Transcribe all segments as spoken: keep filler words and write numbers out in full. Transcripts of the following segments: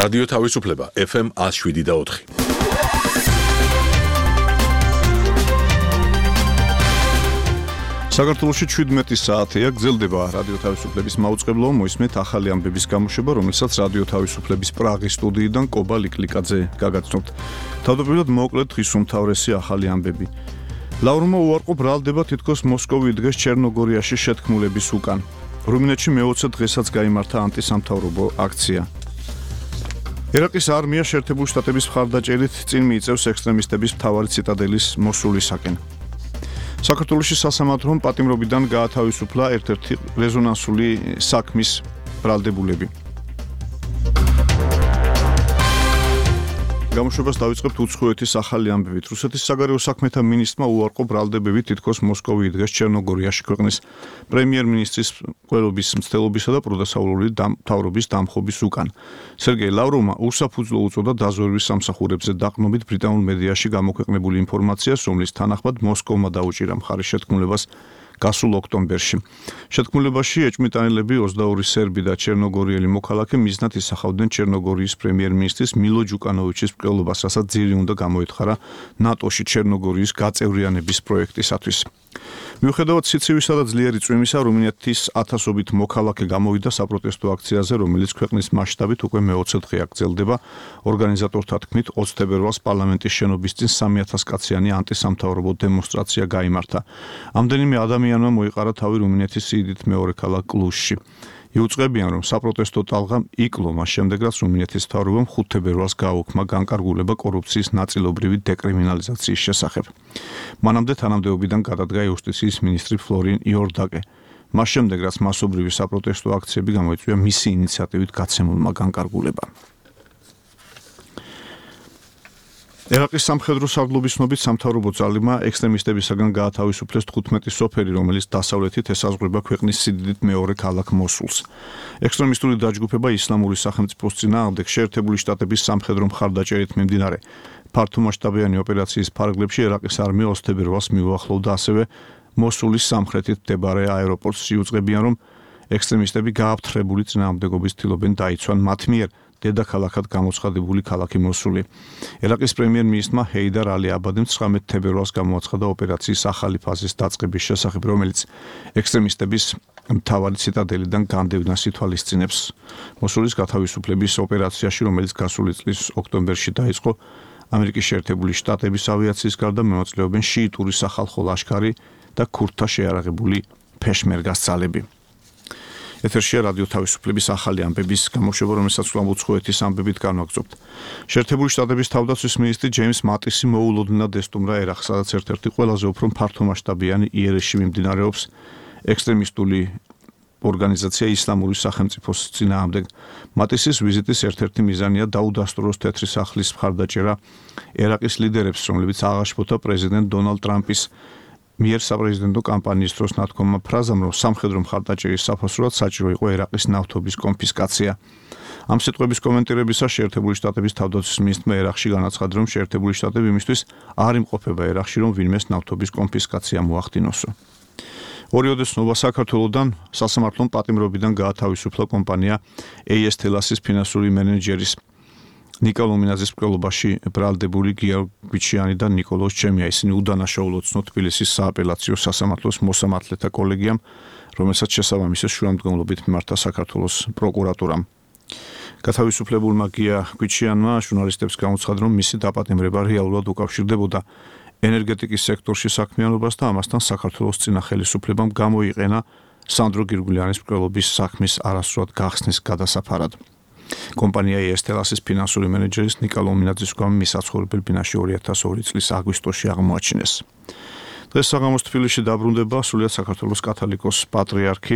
რადიო თავისუფლება ეფ ემ one oh seven და four. საქართველოში seventeen საათია გრძელდება რადიო თავისუფლების მაუწყებლო მოისმენთ ახალი ამბების გამოშვება, რომელსაც რადიო თავისუფლების პრაღის სტუდიიდან კობა ლიკლიკაძე გაგაცნობთ. თავდაპირველად მოკლედ დღის უმთავრესი ახალი ამბები. ლავრმა უარყო ბრალდება თითქოს მოსკოვი დღეს ჩერნოგორიაში შეთქმულების უკან. რუმინეთში მეოცე დღესაც გაიმართა ანტისამთავრობო აქცია. ერაყის არმია შეერთებული შტატების მხარდაჭერით წინ მიიწევს ექსტრემისტების მთავარი ციტადელის მოსულისაკენ. საქართველოში სასამართლომ პატიმრობიდან გაათავისუფლა ერთ-ერთი რეზონანსული საქმის ბრალდებულები. გამოშვებას დავიწყებთ უცხოეთის ახალი ამბებით. რუსეთის საგარეო საქმეთა მინისტრმა უარყო ბრალდებები თითქოს მოსკოვი დღეს ჩერნოგორიაში ქვეყნის პრემიერ-მინისტრის ყველობის მცდელობისა და პროდასავლური მთავრობის დამხობის უკან. სერგეი ლავროვმა უსაფუძვლო უწოდა დაზვერვის სამსახურებზე დაყრდნობით ბრიტანულ მედიაში გამოქვეყნებული ინფორმაციას, რომლის თანახმად მოსკოვმა დაუჭირა მხარი შეთქმულებას გასულ ოქტომბერში. შეთქმულებაში ეჭვმიტანილები ოცდაორი სერბი და ჩერნოგორიელი მოქალაქე მიზნად ისახავდნენ ჩერნოგორიის პრემიერ-მინისტრის მილო ჯუკანოვიჩის მკვლელობას, რასაც ძირი უნდა გამოეთხარა ნატოში ჩერნოგორიის გაწევრიანების პროექტისათვის. მიუხედავად სიცივისა და ძლიერი წვიმისა, რუმინეთის ათასობით მოქალაქე გამოვიდა საპროტესტო აქციაზე, რომელიც ქვეყნის მასშტაბით უკვე მეოცე დღეა გრძელდება. ორგანიზატორთა თქმით, ოცი თებერვალს პარლამენტის შენობის წინ სამი ათას კაციანი ანტისამთავრობო დემონსტრაცია გაიმართა. ამდენიმე ადამიანმა მოიყარა თავი რუმინეთის სიდიდით მეორე ქალაქ კლუშში. იუწყებიან, რომ საპროტესტო ტალღამ იკლო მას შემდეგ, რაც რუმინეთის მთავრობამ ხუთ თებერვალს გააუქმა განკარგულება კორუფციის ნაწილობრივი დეკრიმინალიზაციის შესახებ. მანამდე თანამდებობიდან გადადგა იუსტიციის მინისტრი ფლორინ იორდაკე. მას შემდეგ, რაც მასობრივი საპროტესტო აქციები გამოიწვია მისი ინიციატივით გაცემულმა განკარგულებამ. ერაყის სამხედრო სარდლობის ცნობით სამთავრობო ძალებმა ექსტრემისტებისაგან გაათავისუფლეს თხუთმეტი სოფელი, რომელიც დასავლეთით ესაზღვრება ქვეყნის სიდიდით მეორე ქალაქ მოსულს. ექსტრემისტული დაჯგუფება ისლამური სახელმწიფოს წინააღმდეგ შეერთებული შტატების სამხედრო მხარდაჭერით მიმდინარე ფართომასშტაბიანი ოპერაციის ფარგლებში ერაყის არმია ოცი თებერვალს მიუახლოვდა ასევე მოსულის სამხრეთით მდებარე აეროპორტს. იუწყებიან, რომ ექსტრემისტები გააფთრებული წინააღმდეგობის ცდილობენ დაიცვან მათ მიერ დედაქალაქად გამოცხადებული ქალაქი მოსული. ერაყის პრემიერ-მინისტრმა ჰეიდარ ალი აბადიმ ცხრამეტი თებერვალს გამოაცხადა ოპერაციის ახალი ფაზის დაწყების შესახებ, რომელიც ექსტრემისტების მთავარი ციტადელიდან განდევნას ითვალისწინებს. მოსულის გათავისუფლების ოპერაციაში, რომელიც გასული წლის ოქტომბერში დაიწყო, ამერიკის შეერთებული შტატების ავიაციის გარდა მონაწილეობენ შიიტური სახალხო ლაშქარი და ქურთთა შეიარაღებული ფეშმერგას ძალები. ეთერშია რადიო თავისუფლების ახალი ამბების გამოშვება, რომელსაც უცხოეთის ამბებით განვაგრძობთ. შეერთებული შტატების თავდაცვის მინისტრი ჯეიმს მატისი მოულოდნელად ესტუმრა ერაყს, სადაც ერთ-ერთი ყველაზე უფრო ფართომასშტაბიანი იერეში მიმდინარეობს ექსტრემისტული ორგანიზაცია ისლამური სახელმწიფოს წინააღმდეგ. მატისის ვიზიტის ერთ-ერთი მიზანია დაუდასტუროს თეთრი სახლის მხარდაჭერა ერაყის ლიდერებს, რომლებიც აღაშფოთა პრეზიდენტ დონალდ ტრამპის მიერ საპრეზიდენტო კამპანიის დროს ნათქვამმა ფრაზამ, რომ სამხედრო მხარდაჭერის საფასურად საჭირო იყო ერაყის ნავთობის კონფისკაცია. ამ სიტყვების კომენტირებისას შეერთებული შტატების თავდაცვის მინისტრმა ერაყში განაცხადა, რომ შეერთებული შტატები იმისთვის არ იმყოფება ერაყში, რომ ვინმეს ნავთობის კონფისკაცია მოახდინოსო. ორიოდე ცნობა საქართველოდან სასამართლომ პატიმრობიდან გაათავისუფლა კომპანია ეი ეს თელასის ფინანსური მენეჯერის ნიკოლო მინაძის მკვლელობაში ბრალდებული გიორგი გვიჩიანი და ნიკოლოზ ჩემია. ისინი უდანაშაულოდ ცნო თბილისის სააპელაციო სასამართლოს მოსამართლეთა კოლეგიამ, რომელსაც შესაბამისად შუამდგომლობით მიმართა საქართველოს პროკურატურამ. გათავისუფლებულმა გია გვიჩიანმა ჟურნალისტებს გამოცხადა, რომ მისი დაპატიმრება რეალურად უკავშირდებოდა ენერგეტიკის სექტორში საქმიანობას და ამასთან საქართველოს წინა ხელისუფლებამ გამოიყენა სანდრო გირგულიანის მკვლელობის საქმის არასრულად გახსნის გადასაფარად. კომპანია ეი ეს თელასის ფინანსური მენეჯერის ნიკოლო მინაძის გვამი მისაცხოვრებელ ბინაში ორი ათას ორი წლის აგვისტოში აღმოაჩინეს. დღეს საღამოს თბილისში დაბრუნდება სრულიად საქართველოს კათოლიკოს პატრიარქი,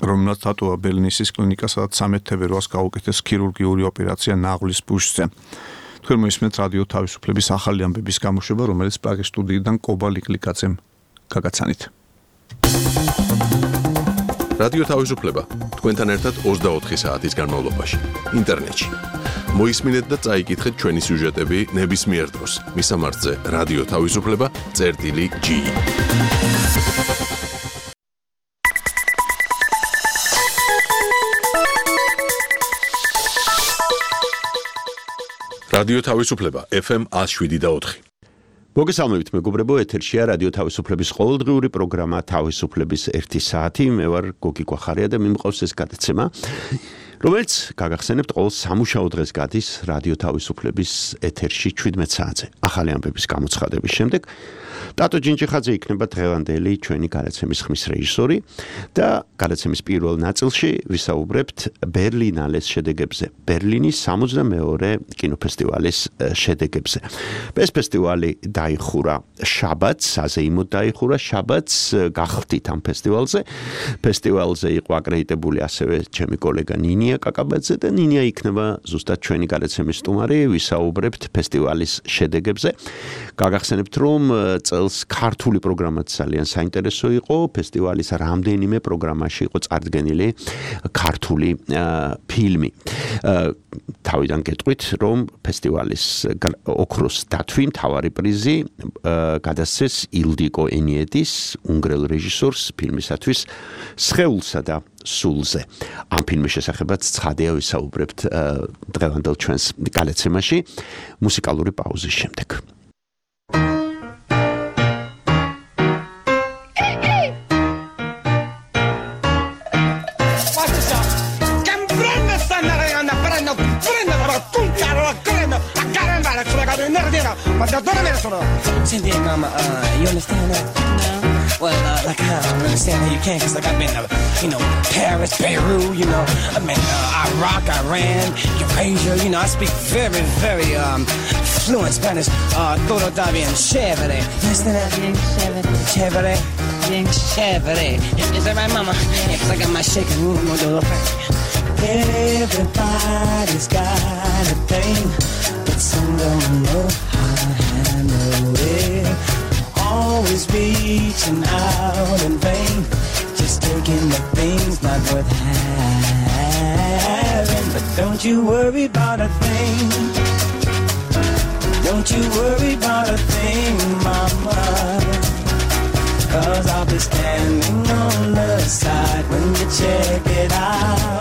რომელმაც დატოვა ბელნისის კლინიკა, სადაც სამი თებერვალს გაუკეთეს ქირურგიული ოპერაცია ნაღლის ბუშზე. თქვენ მოისმენთ რადიო თავისუფლების ახალი ამბების გამოშვება, რომელიც პრაღის სტუდიიდან კობა ლიკლიკაძემ გაგაცანით. რადიო თავისუფლება თქვენთან ერთად ოცდაოთხი საათის განმავლობაში ინტერნეტში. მოისმინეთ და წაიკითხეთ ჩვენი სიუჟეტები ნებისმიერ დროს. მისამართზე რადიო თავისუფლება წერტილი ჯი. რადიო თავისუფლება F M one oh seven და four. მოგესალმებით მეგობრებო, ეთერშია რადიო თავისუფლების ყოველდღიური პროგრამა თავისუფლების ერთი საათი. მე ვარ გოგი კვახარია და მიმყავს ეს გადაცემა, რომელიც გაგახსენებთ ყოველ სამუშაო დღეს გადის რადიო თავისუფლების ეთერში seventeen საათზე. ახალი ამბების გამოცხადების შემდეგ ტატო ჯინჯიხაძე იქნება დღევანდელი ჩვენი გადაცემის ხმის რეჟისორი და გადაცემის პირველ ნაწილში ვისაუბრებთ ბერლინალეს შედეგებზე, ბერლინის სამოცდამეორე კინოფესტივალის შედეგებზე. ეს ფესტივალი დაიხურა შაბათს, საზეიმოდ დაიხურა შაბათს, გახდით ამ ფესტივალზე. ფესტივალზე იყო აკრედიტებული ასევე ჩემი კოლეგა ნინია კაკაბაძე და ნინია იქნება ზუსტად ჩვენი გადაცემის სტუმარი, ვისაუბრებთ ფესტივალის შედეგებზე. გაგახსენებთ რომ წელს ქართული პროგრამაც ძალიან საინტერესო იყო, ფესტივალის რამდენიმე პროგრამაში იყო წარდგენილი ქართული ფილმი. თავიდან გეტყვით, რომ ფესტივალის ოქროს დათვი, მთავარი პრიზი გადასცეს ილდიკო ენიეტის, უნგრელ რეჟისორს ფილმისათვის სხეულსა და სულზე. ამ ფილმის შესახებაც ცხადია ვისაუბრებთ დღევანდელ ჩვენს გადაცემაში მუსიკალური პაუზის შემდეგ. Cindy, mama, uh, you understand that? No. Well, uh, like I don't understand how you can, cause like I've been to, you know, Paris, Beirut, you know, I mean, uh, Iraq, Iran, Eurasia, you know, I speak very, very, um, fluent Spanish. Uh, todo está bien chévere. You understand that? Bien chévere. Chévere. Bien chévere. Is that right, mama? Yeah, cause I got my shaking room on the other thing. Everybody's got a thing, but some don't know how to handle it. Always reaching out in vain, just taking the things not worth having. But don't you worry about a thing. Don't you worry about a thing, mama. Cause I'll be standing on the side when you check it out.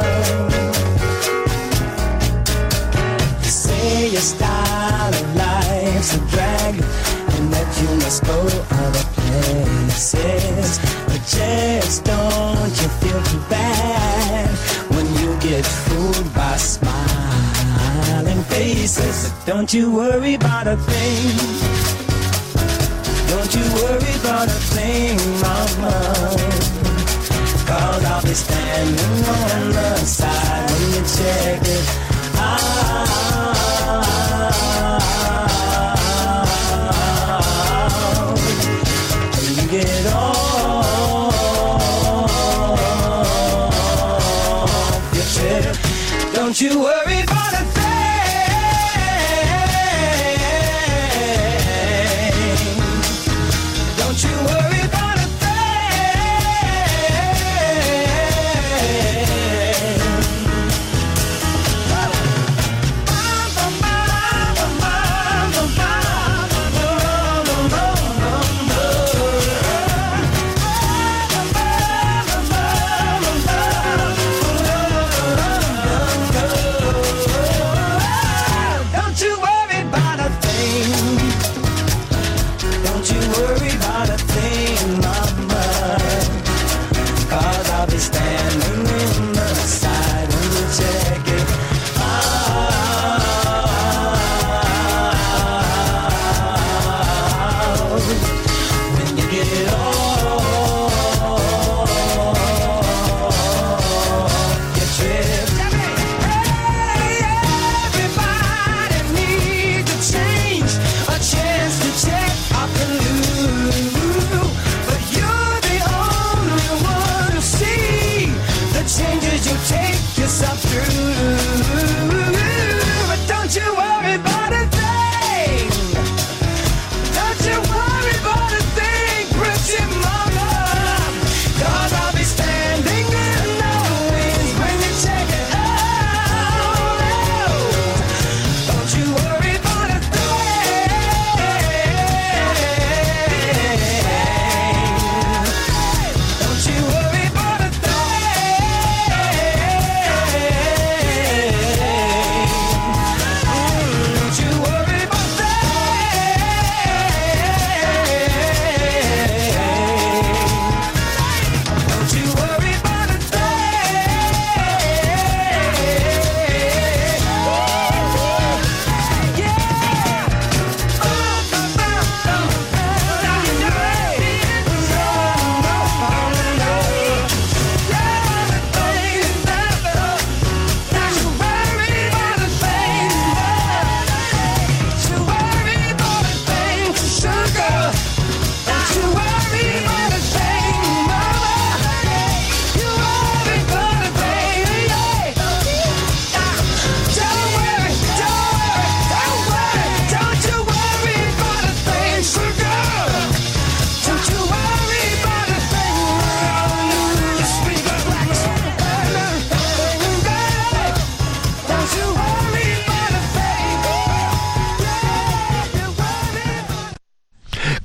You say your style of life's a drag and that you must go other places, but just don't you feel too bad when you get fooled by smiling faces. But don't you worry about a thing. Don't you worry about a thing, mama. Cause I'll be standing on the side when you check it out. When you get off your chair. Don't you worry about a thing. Don't you worry about a thing.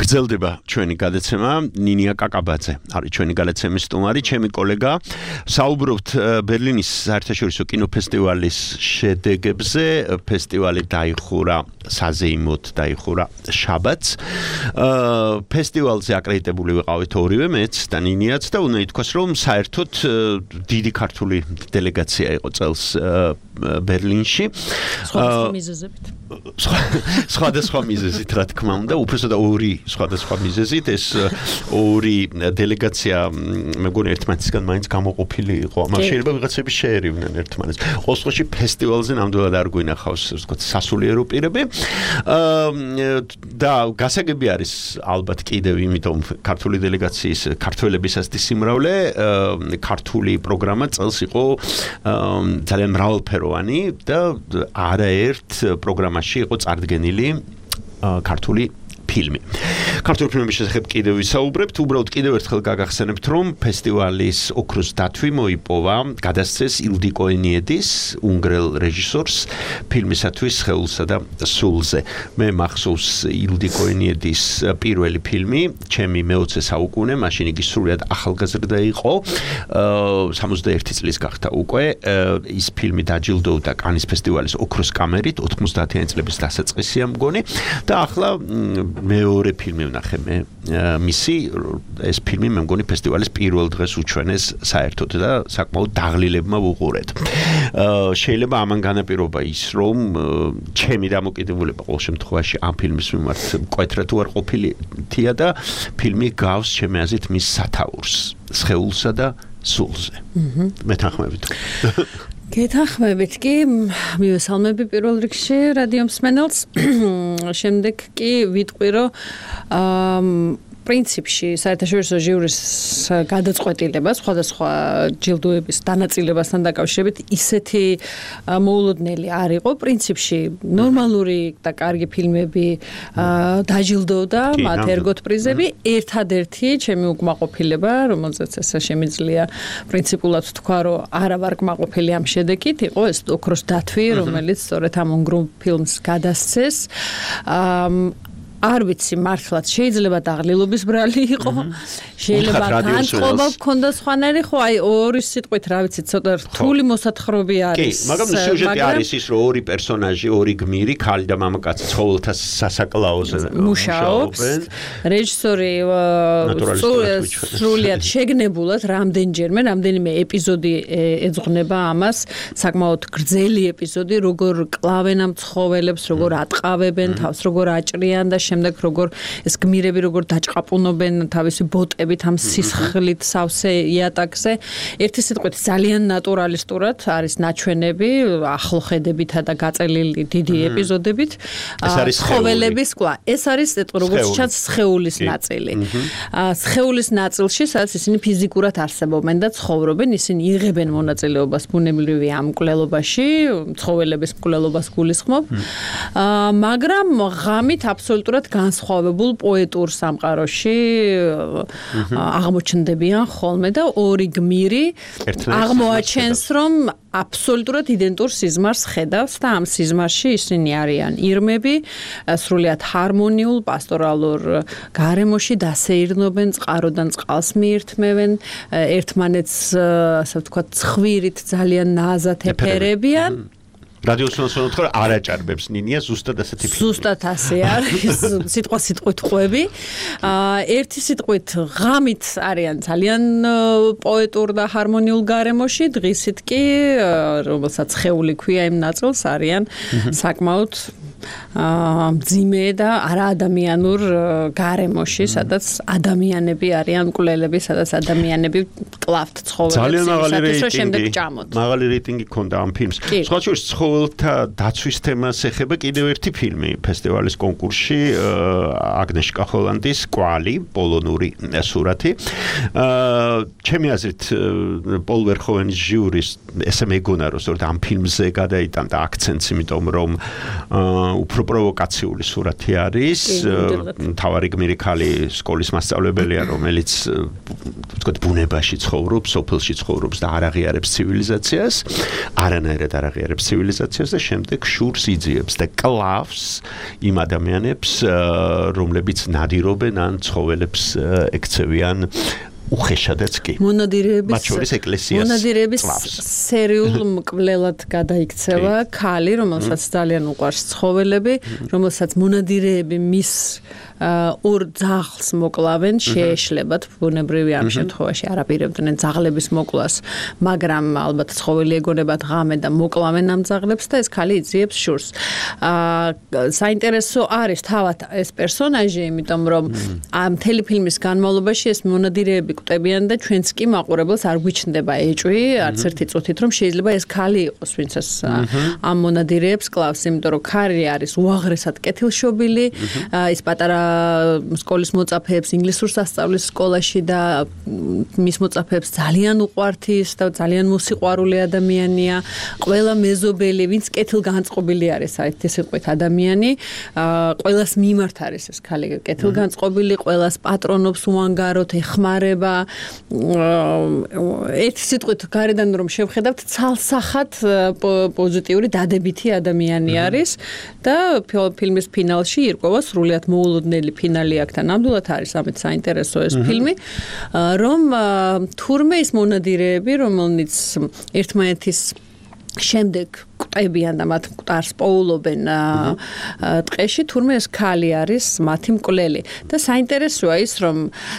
გრძელდება ჩვენი გადაცემა ნინია კაკაბაძე არის ჩვენი გადაცემის სტუმარი ჩემი კოლეგა საუბრობთ ბერლინის საერთაშორისო კინოფესტივალის შედეგებზე ფესტივალი დაიხურა საზეიმოდ დაიხურა შაბათს ფესტივალზე აკრედიტებული ვიყავით ორივე მეც და ნინიაც და უნდა ითქვას რომ საერთოდ დიდი ქართული დელეგაცია იყო წელს ბერლინში სხვადასხვა მიზეზებით სხვადასხვა მიზეზით რა თქმა უნდა უბრალოდ ორი სხვადასხვა მიზეზით ეს ორი დელეგაცია მე მგონი ერთმანეთისგან მაინც გამოყოფილი იყო მაგრამ შეიძლება ვიღაცები შეერივნენ ერთმანეთს ყოველ შემთხვევაში ფესტივალზე ნამდვილად არ გვინახავს ვთქვათ სასულიერო პირები და გასაგები არის ალბათ კიდევ იმიტომ ქართული დელეგაციის ქართველებისასთვის სიმრავლე ქართული პროგრამა წელს იყო ძალიან მრავალფეროვანი და არაერთ პროგრამაში იყო წარდგენილი ქართული ფილმი. ქართული ფილმების შესახებ კიდევ ვისაუბრებთ, უბრალოდ კიდევ ერთხელ გაგახსენებთ, რომ ფესტივალის ოქროს დათვი მოიპოვა, გადასცეს ილდიკო ენიედის, უნგრელ რეჟისორს ფილმისათვის სხეულსა და სულზე. მე მახსოვს ილდიკო ენიედის პირველი ფილმი, ჩემი მეოცე საუკუნე, მაშინ იგი სრულიად ახალგაზრდა იყო, სამოცდაერთი წლის გახდა უკვე, ის ფილმი დაჯილდოვდა კანის ფესტივალის ოქროს კამერით, ოთხმოცდაათიანი წლების დასაწყისია მგონი და ახლა მეორე ფილმი ვნახე მე მისი ეს ფილმი მე მგონი ფესტივალის პირველ დღეს უჩვენეს საერთოდ და საკმაოდ დაღლილებმა ვუყურეთ. შეიძლება ამან განაპირობა ის რომ ჩემი დამოკიდებულება ყოველ შემთხვევაში ამ ფილმის მიმართ მკვეთრად უარ ყოფილია და ფილმი გავს ჩემი აზრით მის სათაურს სხეულსა და სულზე. მეთანხმებით. გეთანხმებით კი მივესალმები პირველ რიგში რადიო მსმენელს შემდეგ კი ვიტყვი რომ პრინციპში საერთაშორისო ჟიურის გადაწყვეტილება სხვადასხვა ჯილდოების დანაწილებასთან დაკავშირებით ისეთი მოულოდნელი არ იყო პრინციპში ნორმალური და კარგი ფილმები დაჯილდოვდა მათ ერგოთ პრიზები ერთადერთი ჩემი უკმაყოფილება რომელზეც ესე შემიძლია პრინციპულად თქვა რომ არა ვარ კმაყოფილი ამ შედეგით იყო ეს ოქროს დათვი რომელიც სწორედ ამ უნგრულ ფილმს გადასცეს არ ვიცი მართლაც შეიძლება დაღლილობის ბრალი იყო შეიძლება განწყობა გქონდა სხვანაირი ხო აი ორი სიტყვით რა ვიცი ცოტა რთული მოსათხრობი არის კი მაგრამ სიუჟეტი არის ის რომ ორი პერსონაჟი ორი გმირი ქალი და მამაკაცი ცხოველთა სასაკლაოზე მუშაობენ რეჟისორი სრულიად შეგნებულად რამდენჯერმე რამდენიმე ეპიზოდი ეძღვნება ამას საკმაოდ გრძელი ეპიზოდი როგორ კლავენ ამ ცხოველებს როგორ ატყავებენ თავს როგორ აჭრიან და შემდეგ როგორ ეს გმირები როგორ დაჭყაპუნობენ თავისი ბოტებით ამ სისხლით სავსე იატაკზე ერთი სიტყვით ძალიან ნატურალისტურად არის ნაჩვენები ახლო ხედებითა და გაწელილი დიდი ეპიზოდებით ცხოველების კლა ეს არის როგორც ჩანს სხეულის ნაწილი სხეულის ნაწილში სადაც ისინი ფიზიკურად არსებობენ და ცხოვრობენ ისინი იღებენ მონაწილეობას ბუნებრივი ამ მკვლელობაში ცხოველების მკვლელობას გულისხმობ მაგრამ ღამით აბსოლუტურად განსხვავებულ პოეტურ სამყაროში აღმოჩნდებიან ხოლმე და ორი გმირი აღმოაჩენს რომ აბსოლუტურად იდენტურ სიზმარს ხედავს და ამ სიზმარში ისინი არიან ირმები სრულიად ჰარმონიულ პასტორალურ გარემოში დასეირნობენ წყაროდან წყალს მიირთმევენ ერთმანეთს ასე ვთქვათ ცხვირით ძალიან ნაზად ეფერებიან რადიო სონსონოთ ხო არაჭარბებს ნინია ზუსტად ასეთი ფილმი. ზუსტად ასე არის. სიტყვა სიტყვით ყვები. ერთი სიტყვით ღამით არიან ძალიან პოეტურ და ჰარმონიულ გარემოში, დღისით კი რომელსაც ხეული ქვია იმ ნაწილს არიან საკმაოდ მძიმე და არაადამიანურ გარემოში, სადაც ადამიანები არიან მკვლელები, სადაც ადამიანები კლავთ ცხოველებს, სადაც შემდეგ ჭამოთ. მაღალი რეიტინგი ჰქონდა ამ ფილმს. სხვა შორის ცხოველთა დაცვის თემას ეხება კიდევ ერთი ფილმი ფესტივალის კონკურსში, აგნეშკა ჰოლანდის კვალი, პოლონური სურათი. ჩემი აზრით პოლ ვერჰოვენის ჟიურის ესე მეგონა რომ სწორედ ამ ფილმზე გადაიტანდა აქცენტს, იმიტომ რომ უფრო პროვოკაციული სურათი არის. თავარი გმირი ქალი სკოლის მასწავლებელია, რომელიც ვთქვათ ბუნებაში ცხოვრობს, სოფელში ცხოვრობს და არ აღიარებს ცივილიზაციას, არანაირად არ აღიარებს ცივილიზაციას და შემდეგ შურს იძიებს და კლავს იმ ადამიანებს, რომლებიც ნადირობენ ან ცხოველებს ექცევიან უხეშადაც კი. მონადირეების მათ შორის ეკლესიას მონადირეების სერიულ მკვლელად გადაიქცევა ქალი, რომელსაც ძალიან უყვარს ცხოველები, რომელსაც მონადირეები მის ორ ძაღლს მოკლავენ, შეეშლებათ ბუნებრივი ამ შემთხვევაში არაპირებდნენ ძაღლების მოკლას, მაგრამ ალბათ ცხოველი ეგონებათ ღამე და მოკლავენ ამ ძაღლებს და ეს ქალი იძიებს შურს. საინტერესო არის თავად ეს პერსონაჟი, იმიტომ რომ ამ მთელი ფილმის განმავლობაში ეს მონადირეები კვდებიან და ჩვენც კი მაყურებელს არ გვიჩნდება ეჭვი, არც ერთი წუთით, რომ შეიძლება ეს ქალი იყოს, ვინც ეს ამ მონადირეებს კლავს, იმიტომ რომ ქალი არის უაღრესად კეთილშობილი, ის პატარა სკოლის მოწაფეებს ინგლისურს ასწავლის სკოლაში და მის მოწაფეებს ძალიან უყვართ ის და ძალიან მოსიყვარული ადამიანია. ყველა მეზობელი, ვინც კეთილგანწყობილი არის, საერთოდ ეს იყო ადამიანი, ყველას მიმართ არის ეს ქალი კეთილგანწყობილი, ყველას პატრონობს უანგაროდ, ეხმარება. ერთი სიტყვით გარედან რომ შევხედავთ, ცალსახად პოზიტიური დადებითი ადამიანი არის და ფილმის ფინალში ირკვევა სრულიად მოულოდნელი ფინალი აქ და ნამდვილად არის ამით საინტერესო ეს ფილმი, რომ თურმე ის მონადირეები, რომელნიც ერთმანეთის შემდეგ კვდებიან და მათ მკვდარს პოულობენ ტყეში, თურმე ეს ქალი არის მათი მკვლელი. და საინტერესოა ის, რომ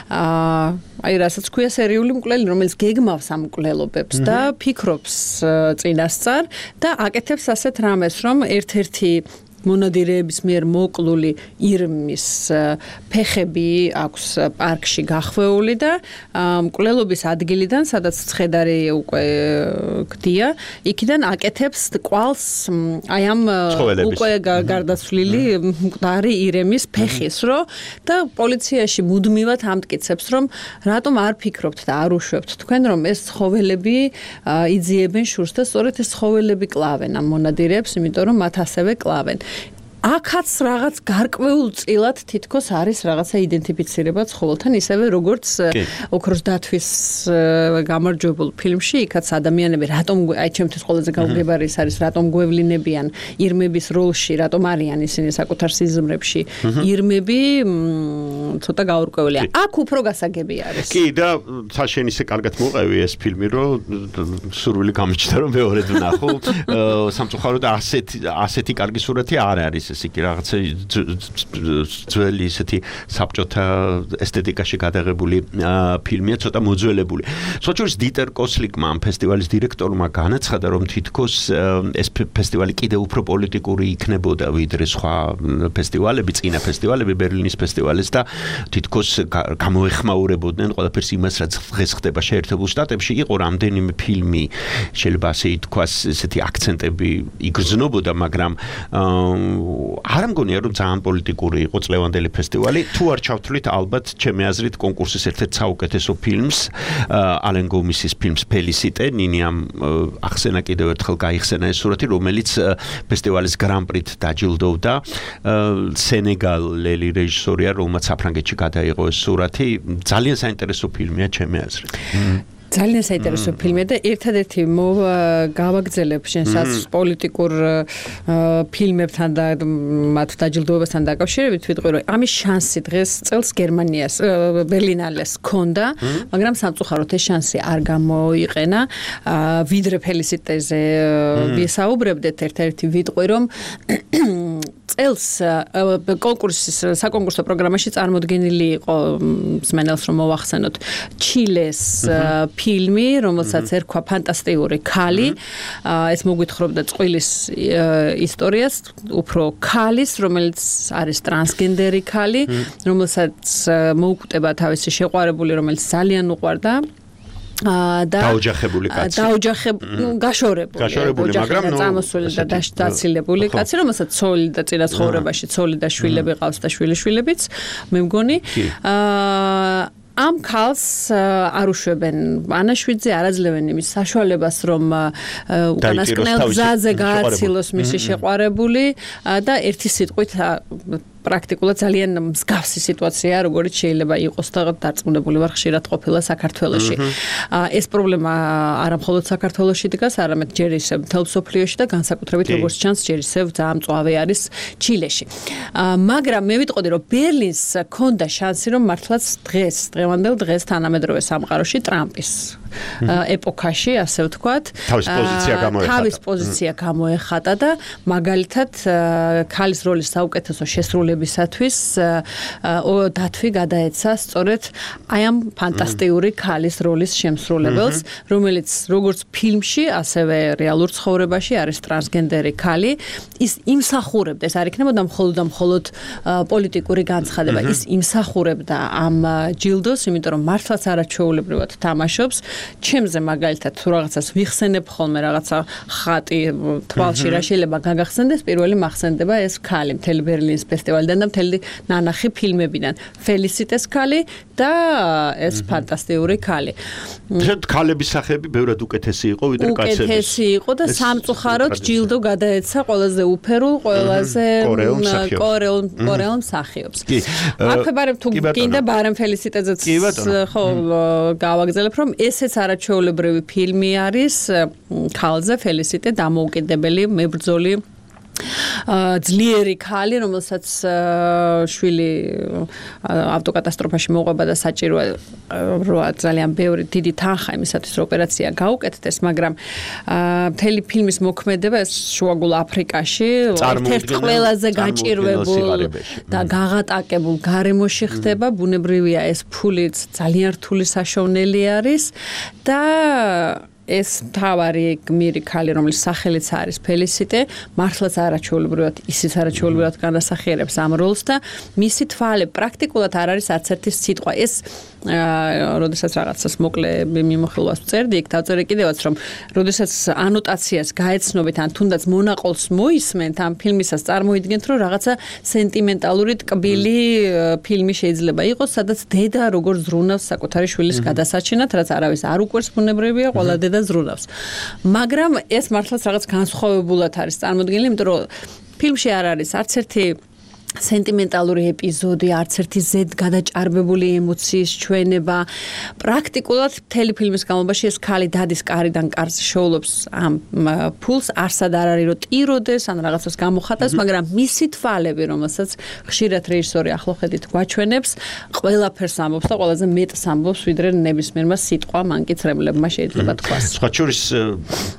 აი რასაც ქვია სერიული მკვლელი, რომელიც გეგმავს ამ მკვლელობებს და ფიქრობს წინასწარ და აკეთებს ასეთ რამეს, რომ ერთ-ერთი მონადირეების მიერ მოკლული ირმის ფეხები აქვს პარკში გახვეული და მკვლელობის ადგილიდან, სადაც ცხედარი უკვე გდია, იქიდან აკეთებს კვალს აი ამ უკვე გარდაცვლილი მკვდარი ირემის ფეხის, რო და პოლიციაში მუდმივად ამტკიცებს, რომ რატომ არ ფიქრობთ და არ უშვებთ თქვენ, რომ ეს ცხოველები იძიებენ შურს და სწორედ ეს ცხოველები კლავენ ამ მონადირეებს, იმიტომ რომ მათ ასევე კლავენ. აქაც რაღაც გარკვეულ წილად თითქოს არის რაღაცა იდენტიფიცირება ცხოველთან, ისევე როგორც ოქროს დათვის გამარჯვებულ ფილმში, იქაც ადამიანები რატომ აი ჩემთვის ყველაზე გაუგებარი ის არის, რატომ გვევლინებიან ირმების როლში, რატომ არიან ისინი საკუთარ სიზმრებში. ირმები ცოტა გაურკვევლია. აქ უფრო გასაგები არის. კი, და საშენ ისე კარგად მოყევი ეს ფილმი, რომ სურვილი გამიჩნდა რომ მეორედ ვნახო. სამწუხაროდ ასეთი ასეთი კარგი სურათი არ არის. ესე იგი რაღაცა ძველი ისეთი საბჭოთა ესთეტიკაში გადაღებული ფილმია, ცოტა მოძველებული. სოჭურის დიტერ კოსლიკმა ამ ფესტივალის დირექტორმა განაცხადა, რომ თითქოს ეს ფესტივალი კიდევ უფრო პოლიტიკური იქნებოდა ვიდრე სხვა ფესტივალები, წინა ფესტივალები, ბერლინის ფესტივალის და თითქოს გამოეხმაურებოდნენ ყველაფერს იმას, რაც დღეს ხდება შეერთებულ შტატებში. იყო რამდენიმე ფილმი, შეიძლება ასე ითქვას, ესეთი აქცენტები იგრძნობოდა, მაგრამ არ მგონია რომ ძალიან პოლიტიკური იყო წლევანდელი ფესტივალი. თუ არ ჩავთვლით, ალბათ ჩემი აზრით კონკურსის ერთ-ერთ საუკეთესო ფილმს, ალენ გომისის ფილმს ფელისიტე, ნინიამ ახსენა კიდევ ერთხელ გაიხსენა ეს სურათი, რომელიც ფესტივალის გრან-პრით დაჯილდოვდა. სენეგალელი რეჟისორია, რომელმაც საფრანგეთში გადაიღო ეს სურათი. ძალიან საინტერესო ფილმია ჩემი აზრით. ძალიან საინტერესო ფილმია და ერთადერთი გავაგრძელებ შენსაც პოლიტიკურ ფილმებთან და მათ დაჯილდოებასთან დაკავშირებით, ვიტყვი რომ ამის შანსი დღეს წელს გერმანიას ბერლინალეს ჰქონდა, მაგრამ სამწუხაროდ ეს შანსი არ გამოიყენა. ვიდრე ფელისიტეზე ვისაუბრებდეთ, ერთ-ერთი ვიტყვი რომ წელს კონკურსის საკონკურსო პროგრამაში წარმოდგენილი იყო მსმენელს რომ მოვახსენოთ ჩილეს ფილმი, რომელსაც ერქვა ფანტასტიკური ქალი. ეს მოგვითხრობდა წყვილის ისტორიას, უფრო ქალის, რომელიც არის ტრანსგენდერი ქალი, რომელსაც მოუკვდება თავისი შეყვარებული, რომელიც ძალიან უყვარდა. და დაოჯახებული კაცი. დაოჯახებული, ნუ გაშორებული. გაშორებული, მაგრამ ნუ წამოსული და დაცილებული კაცი, რომელსაც ცოლი და წინა ცხოვრებაში ცოლი და შვილები ყავს და შვილიშვილებიც, მე მგონი. აა ამ ქალს არ უშვებენ ანაშვიძე არ აძლევენ იმის საშუალებას რომ უკანასკნელ გზაზე გააცილოს მისი შეყვარებული და ერთი სიტყვით პრაქტიკულად ძალიან მსგავსი სიტუაცია, როგორც შეიძლება იყოს და დარწმუნებული ვარ ხშირად ყოფილა საქართველოში. ეს პრობლემა არა მხოლოდ საქართველოში დგას, არამედ ჯერ ისევ მთელ მსოფლიოში და განსაკუთრებით როგორც ჩანს, ჯერ ისევ ძალიან მწვავე არის ჩილეში. მაგრამ მე ვიტყოდი, რომ ბერლინს ჰქონდა შანსი, რომ მართლაც დღეს, დღევანდელ დღეს თანამედროვე სამყაროში ტრამპის ეპოქაში, ასე ვთქვათ, თავის პოზიცია გამოეხატა. თავის პოზიცია გამოეხატა და მაგალითად ქალის როლის საუკეთესო შესრულებისათვის დათვი გადაეცა სწორედ აი ამ ფანტასტიკური ქალის როლის შემსრულებელს, რომელიც როგორც ფილმში, ასევე რეალურ ცხოვრებაში არის ტრანსგენდერი ქალი, ის იმსახურებდა, ეს არ იქნებოდა მხოლოდ და მხოლოდ პოლიტიკური განცხადება, ის იმსახურებდა ამ ჯილდოს, იმიტომ რომ მართლაც არაჩვეულებრივად თამაშობს. ჩემზე მაგალითად თუ რაღაცას ვიხსენებ ხოლმე რაღაცა ხატი თვალში რა შეიძლება გაგახსენდეს, პირველი მახსენდება ეს ქალი მთელი ბერლინის ფესტივალიდან და მთელი ნანახი ფილმებიდან. ფელისიტეს ქალი და ეს ფანტასტიკური ქალი. შედ ქალების სახეები ბევრად უკეთესი იყო ვიდრე კაცების. უკეთესი იყო და სამწუხაროდ ჯილდო გადაეცა ყველაზე უფერულ, ყველაზე კორეულ კორეულ მსახიობს. აქვე ბარემ თუ გინდა ბარემ ფელისიტეზეც ხო გავაგზავნებ რომ ესეც არაჩვეულებრივი ფილმი არის ქალზე ფელისიტე დამოუკიდებელი მებრძოლი ძლიერი ქალი, რომელსაც შვილი ავტოკატასტროფაში მოყვება და საჭიროა რა ძალიან ბევრი დიდი თანხა იმისათვის რომ ოპერაცია გაუკეთდეს, მაგრამ მთელი ფილმის მოქმედება ეს შუაგულ აფრიკაში ერთ-ერთ ყველაზე გაჭირვებულ და გაღატაკებულ გარემოში ხდება. ბუნებრივია ეს ფულიც ძალიან რთული საშოვნელი არის და ეს თავარი გმირი ქალი, რომლის სახელიც არის ფელისიტე, მართლაც არაჩვეულებრივად, ისიც არაჩვეულებრივად განასახიერებს ამ როლს და მისი თვალი პრაქტიკულად არ არის არც ერთი სიტყვა. ეს როდესაც რაღაცას მოკლე მიმოხილვას ვწერდი, იქ დავწერე კიდევაც, რომ როდესაც ანოტაციას გაეცნობით, ან თუნდაც მონაყოლს მოისმენთ ამ ფილმისას, წარმოიდგენთ, რომ რაღაცა სენტიმენტალური ტკბილი ფილმი შეიძლება იყოს, სადაც დედა როგორც ზრუნავს საკუთარი შვილის გადასაჩენად, რაც არავის არ უყვარს, ბუნებრივია, ყველა დედა ზრუნავს. მაგრამ ეს მართლაც რაღაც განსხვავებულად არის წარმოდგენილი, იმიტომ რომ ფილმში არ არის არც ერთი სენტიმენტალური ეპიზოდი, არც ერთი ზედ გადაჭარბებული ემოციის ჩვენება. პრაქტიკულად მთელი ფილმის განმავლობაში ეს ქალი დადის კარიდან კარზე შოულობს ამ ფულს, არსად არ არის რომ ტიროდეს, ან რაღაცას გამოხატას, მაგრამ მისი თვალები, რომელსაც ხშირად რეჟისორი ახლოხედით გვაჩვენებს, ყველაფერს ამბობს და ყველაზე მეტს ამბობს, ვიდრე ნებისმიერმა სიტყვა მანკიცრებლებმა შეიძლება თქვას. სხვა შორის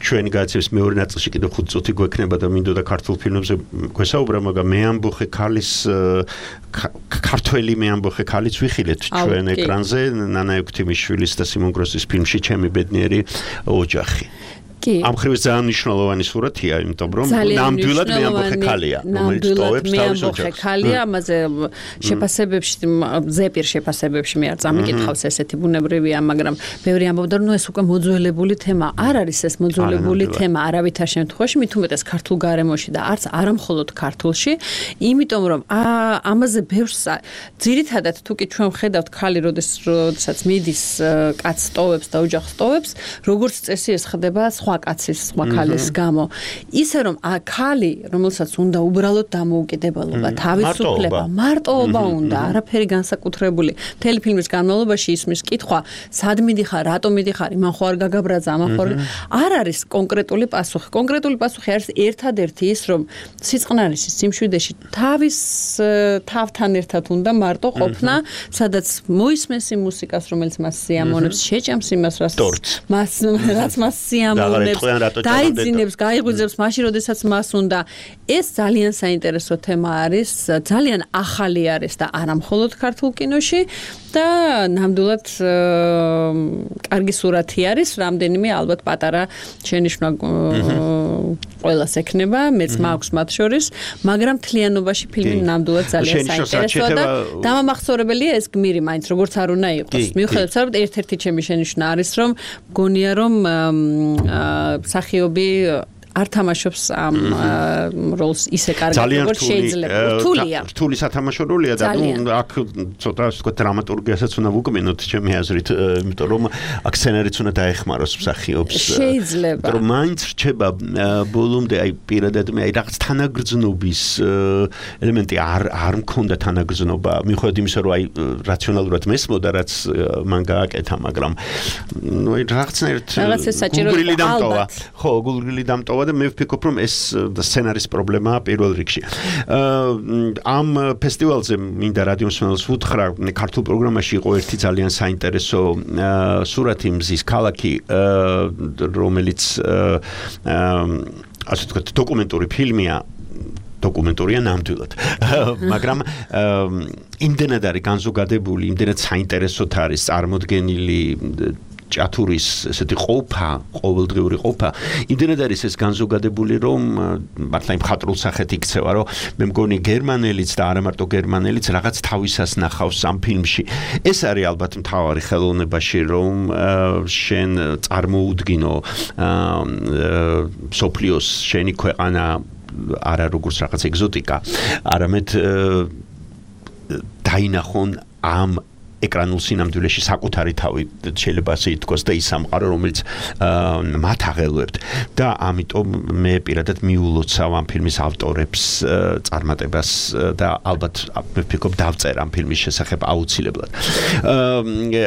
ჩვენი გადაცემის მეორე ნაწილში კიდევ ხუთი წუთი გვექნება და მინდოდა ქართულ ფილმებზე გვესაუბრა, მაგრამ მე ამბოხე ქალის ქართველი მე ამბოხე ქალიც ვიხილეთ ჩვენ ეკრანზე ნანა ექვთიმიშვილის და სიმონ გროსის φιλმში ჩემი ბედნიერი ოჯახი. ამ ხრივის ძალიან მნიშვნელოვანი სურათია, იმიტომ რომ ნამდვილად მე ამბოხე ქალია, რომელიც ტოვებს თავის ოჯახს. ქალია, ამაზე შეფასებებში, ზეპირ შეფასებებში მე არ წამიკითხავს ესეთი ბუნებრივია, მაგრამ ბევრი ამბობდა, რომ ეს უკვე მოძველებული თემა. არ არის ეს მოძველებული თემა არავითარ შემთხვევაში, მით უმეტეს ქართულ გარემოში და არც არა მხოლოდ ქართულში, იმიტომ რომ ამაზე ბევრს ძირითადად თუ კი ჩვენ ვხედავთ ქალი, როდესაც მიდის კაცს ტოვებს და ოჯახს ტოვებს, როგორც წესი ეს ხდება სხვა კაცის, სხვა ქალის გამო. ისე რომ ქალი, რომელსაც უნდა უბრალოდ დამოუკიდებლობა, თავისუფლება, მარტოობა უნდა, არაფერი განსაკუთრებული. მთელი ფილმის განმავლობაში ისმის კითხვა, სად მიდიხარ, რატომ მიდიხარ, იმან ხო არ გაგაბრაძა, ამან ხო არ არის კონკრეტული პასუხი. კონკრეტული პასუხი არის ერთადერთი ის, რომ სიწყნარისის სიმშვიდეში თავის თავთან ერთად უნდა მარტო ყოფნა, სადაც მოისმენს იმ მუსიკას, რომელიც მას სიამოვნებს, შეჭამს იმას, რაც რაც მას სიამოვნებს. დაიძინებს, გაიღვიძებს მაშინ, როდესაც მას უნდა. ეს ძალიან საინტერესო თემა არის, ძალიან ახალი არის და არა მხოლოდ ქართულ კინოში და ნამდვილად კარგი სურათი არის, რამდენიმე ალბათ პატარა შენიშვნა ყველას ექნება, მეც მაქვს მათ შორის, მაგრამ თლიანობაში ფილმი ნამდვილად ძალიან საინტერესოა და დამამახსოვრებელია ეს გმირი მაინც როგორც არ უნდა იყოს. მიუხედავად ამისა, ერთ-ერთი ჩემი შენიშვნა არის, რომ მგონია რომ მსახიობი არ თამაშობს ამ როლს ისე კარგად როგორც შეიძლება. რთულია. რთული სათამაშო როლია და ნუ აქ ცოტა ასე ვთქვათ დრამატურგიასაც უნდა ვუკმინოთ ჩემი აზრით, იმიტომ რომ აქ სცენარიც უნდა დაეხმაროს მსახიობს. შეიძლება. რომ მაინც რჩება ბოლომდე აი პირადად მე აი რაღაც თანაგრძნობის ელემენტი არ არ მქონდა თანაგრძნობა, მიუხედავად იმისა, რომ აი რაციონალურად მესმოდა, რაც მან გააკეთა, მაგრამ ნუ აი რაღაცნაირად გულგრილი დამტოვა. ხო, გულგრილი დამტოვა და მე ვფიქრობ, რომ ეს სცენარის პრობლემაა პირველ რიგში. ამ ფესტივალზე მინდა რადიო მსმენელს ვუთხრა, ქართულ პროგრამაში იყო ერთი ძალიან საინტერესო სურათი მზის ქალაქი, რომელიც ასე ვთქვათ დოკუმენტური ფილმია, დოკუმენტურია ნამდვილად. მაგრამ იმდენად არის განზოგადებული, იმდენად საინტერესოდ არის წარმოდგენილი ჭათურის ესეთი ყოფა, ყოველდღიური ყოფა, იმდენად არის ეს განზოგადებული, რომ მართლა იმ ხატრულ სახეთ იქცევა, რომ მე მგონი გერმანელიც და არა მარტო გერმანელიც რაღაც თავისას ნახავს ამ ფილმში. ეს არის ალბათ მთავარი ხელოვნებაში, რომ შენ წარმოუდგინო სოფლიოს შენი ქვეყანა არა როგორც რაღაც ეგზოტიკა, არამედ დაინახონ ამ ეკრანულ სინამდვილეში საკუთარი თავი შეიძლება ასე ითქვას და ის სამყარო, რომელიც მათ აღელვებთ და ამიტომ მე პირადად მიულოცავ ამ ფილმის ავტორებს წარმატებას და ალბათ მე ვფიქრობ დავწერ ამ ფილმის შესახებ აუცილებლად.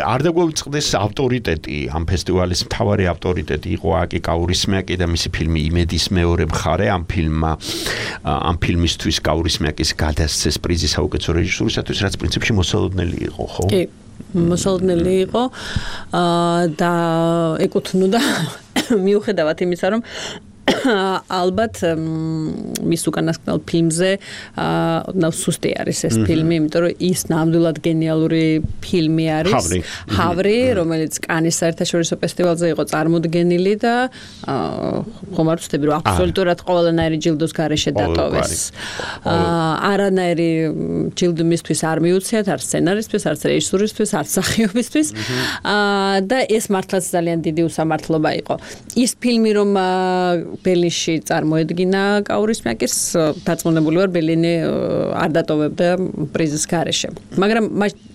არ დაგვიწყდეს ავტორიტეტი ამ ფესტივალის მთავარი ავტორიტეტი იყო აკი კაურისმიაკი და მისი ფილმი იმედის მეორე მხარე ამ ფილმმა ამ ფილმისთვის კაურისმიაკის გადასცეს პრიზი საუკეთესო რეჟისურისათვის, რაც პრინციპში მოსალოდნელი იყო, ხო? მოსალოდნელი იყო და ეკუთვნოდა მიუხედავად იმისა, რომ ალბათ მის უკანასკნელ ფილმზე ოდნავ სუსტი არის ეს ფილმი, იმიტომ რომ ის ნამდვილად გენიალური ფილმი არის. ჰავრი, რომელიც კანის საერთაშორისო ფესტივალზე იყო წარმოდგენილი და ხომ არ ვცდები, რომ აბსოლუტურად ყველანაირი ჯილდოს გარეშე დატოვეს. არანაირი ჯილდო მისთვის არ მიუციათ, არ სცენარისთვის, არ რეჟისურისთვის, არ მსახიობისთვის. და ეს მართლაც ძალიან დიდი უსამართლობა იყო. ის ფილმი რომ ბერლინში წარმოედგინა კაურისმიაკის, დარწმუნებული ვარ, ბერლინი არ დატოვებდა პრიზის გარეშე. მაგრამ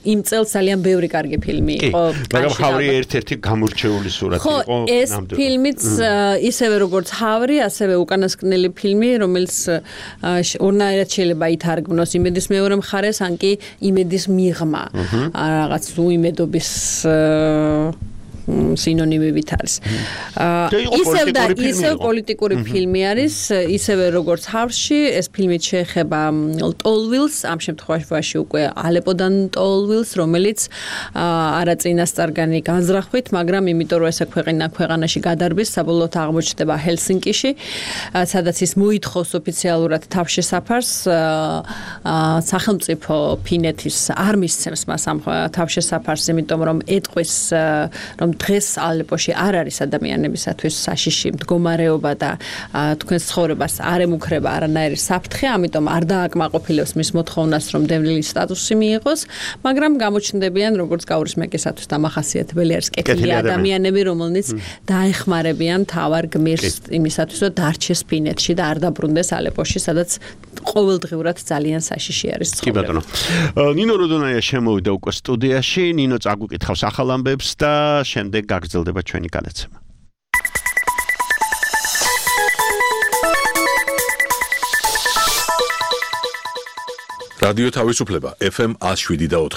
იმ წელს ძალიან ბევრი კარგი ფილმი იყო. მაგრამ ჰავრი ერთ-ერთი გამორჩეული სურათი იყო. ხო, ეს ფილმიც ისევე როგორც ჰავრი, ასევე უკანასკნელი ფილმი, რომელიც ორნაირად შეიძლება ითარგმნოს იმედის მეორე მხარეს, ან კი იმედის მიღმა. რაღაც უიმედობის სინონიმივით არის. ისევ და ისევ პოლიტიკური ფილმი არის, ისევე როგორც ჰავრში, ეს ფილმი შეეხება ტოლვილს, ამ შემთხვევაში უკვე ალეპოდან ტოლვილს, რომელიც არა წინასწარგანი განზრახვით, მაგრამ იმიტომ რომ ეს ქვეყანა ქვეყანაში გადარბის, საბოლოოდ აღმოჩნდება ჰელსინკიში, სადაც ის მოითხოვს ოფიციალურად თავშესაფარს, სახელმწიფო ფინეთის არ მისცემს მას ამ თავშესაფარს, იმიტომ რომ ეტყვის, რომ დღეს ალეპოში არ არის ადამიანებისათვის საშიში მდგომარეობა და თქვენს ცხოვრებას არ ემუქრება არანაირი საფრთხე, ამიტომ არ დააკმაყოფილებს მის მოთხოვნას, რომ დევნილის სტატუსი მიიღოს, მაგრამ გამოჩნდებიან როგორც კაურისმიაკისათვის დამახასიათებელი არის კეთილი ადამიანები, რომელნიც დაეხმარებიან მთავარ გმირს იმისათვის, რომ დარჩეს ფინეთში და არ დაბრუნდეს ალეპოში, სადაც ყოველდღიურად ძალიან საშიში არის ცხოვრება. კი ბატონო. ნინო როდონაია შემოვიდა უკვე სტუდიაში, ნინო წაგვიკითხავს ახალ ამბებს და შემდეგ გაგრძელდება ჩვენი განაცემა. რადიო თავისუფლება ეფ ემ one oh seven და four.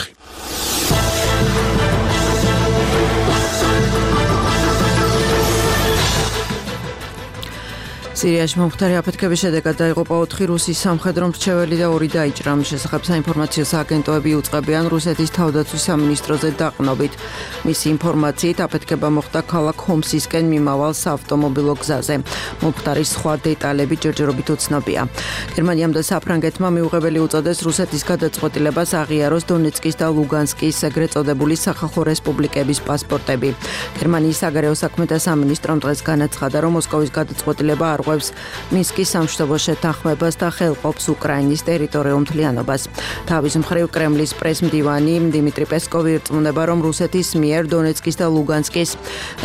სირიაში მომხდარი აფეთქების შედეგად დაიღუპა ოთხი რუსი სამხედრო მრჩეველი და ორი დაიჭრა. მის შესახებ საინფორმაციო სააგენტოები უწყებიან რუსეთის თავდაცვის სამინისტროზე დაყნობით. მისი ინფორმაციით აფეთქება მოხდა ქალაქ ჰომსისკენ მიმავალ საავტომობილო გზაზე. მომხდარის სხვა დეტალები ჯერჯერობით უცნობია. გერმანიამ და საფრანგეთმა მიუღებელი უწოდეს რუსეთის გადაწყვეტილებას აღიაროს დონეცკის და ლუგანსკის ეგრეთ წოდებული სახალხო რესპუბლიკების პასპორტები. გერმანიის საგარეო საქმეთა სამინისტრომ დღეს განაცხადა, რომ მოსკოვის გადაწყვეტილება არ არღვევს მინსკის სამშვიდობო შეთანხმებას და ხელყოფს უკრაინის ტერიტორიულ მთლიანობას. თავის მხრივ კრემლის პრესმდივანი დიმიტრი პესკოვი ირწმუნება, რომ რუსეთის მიერ დონეცკის და ლუგანსკის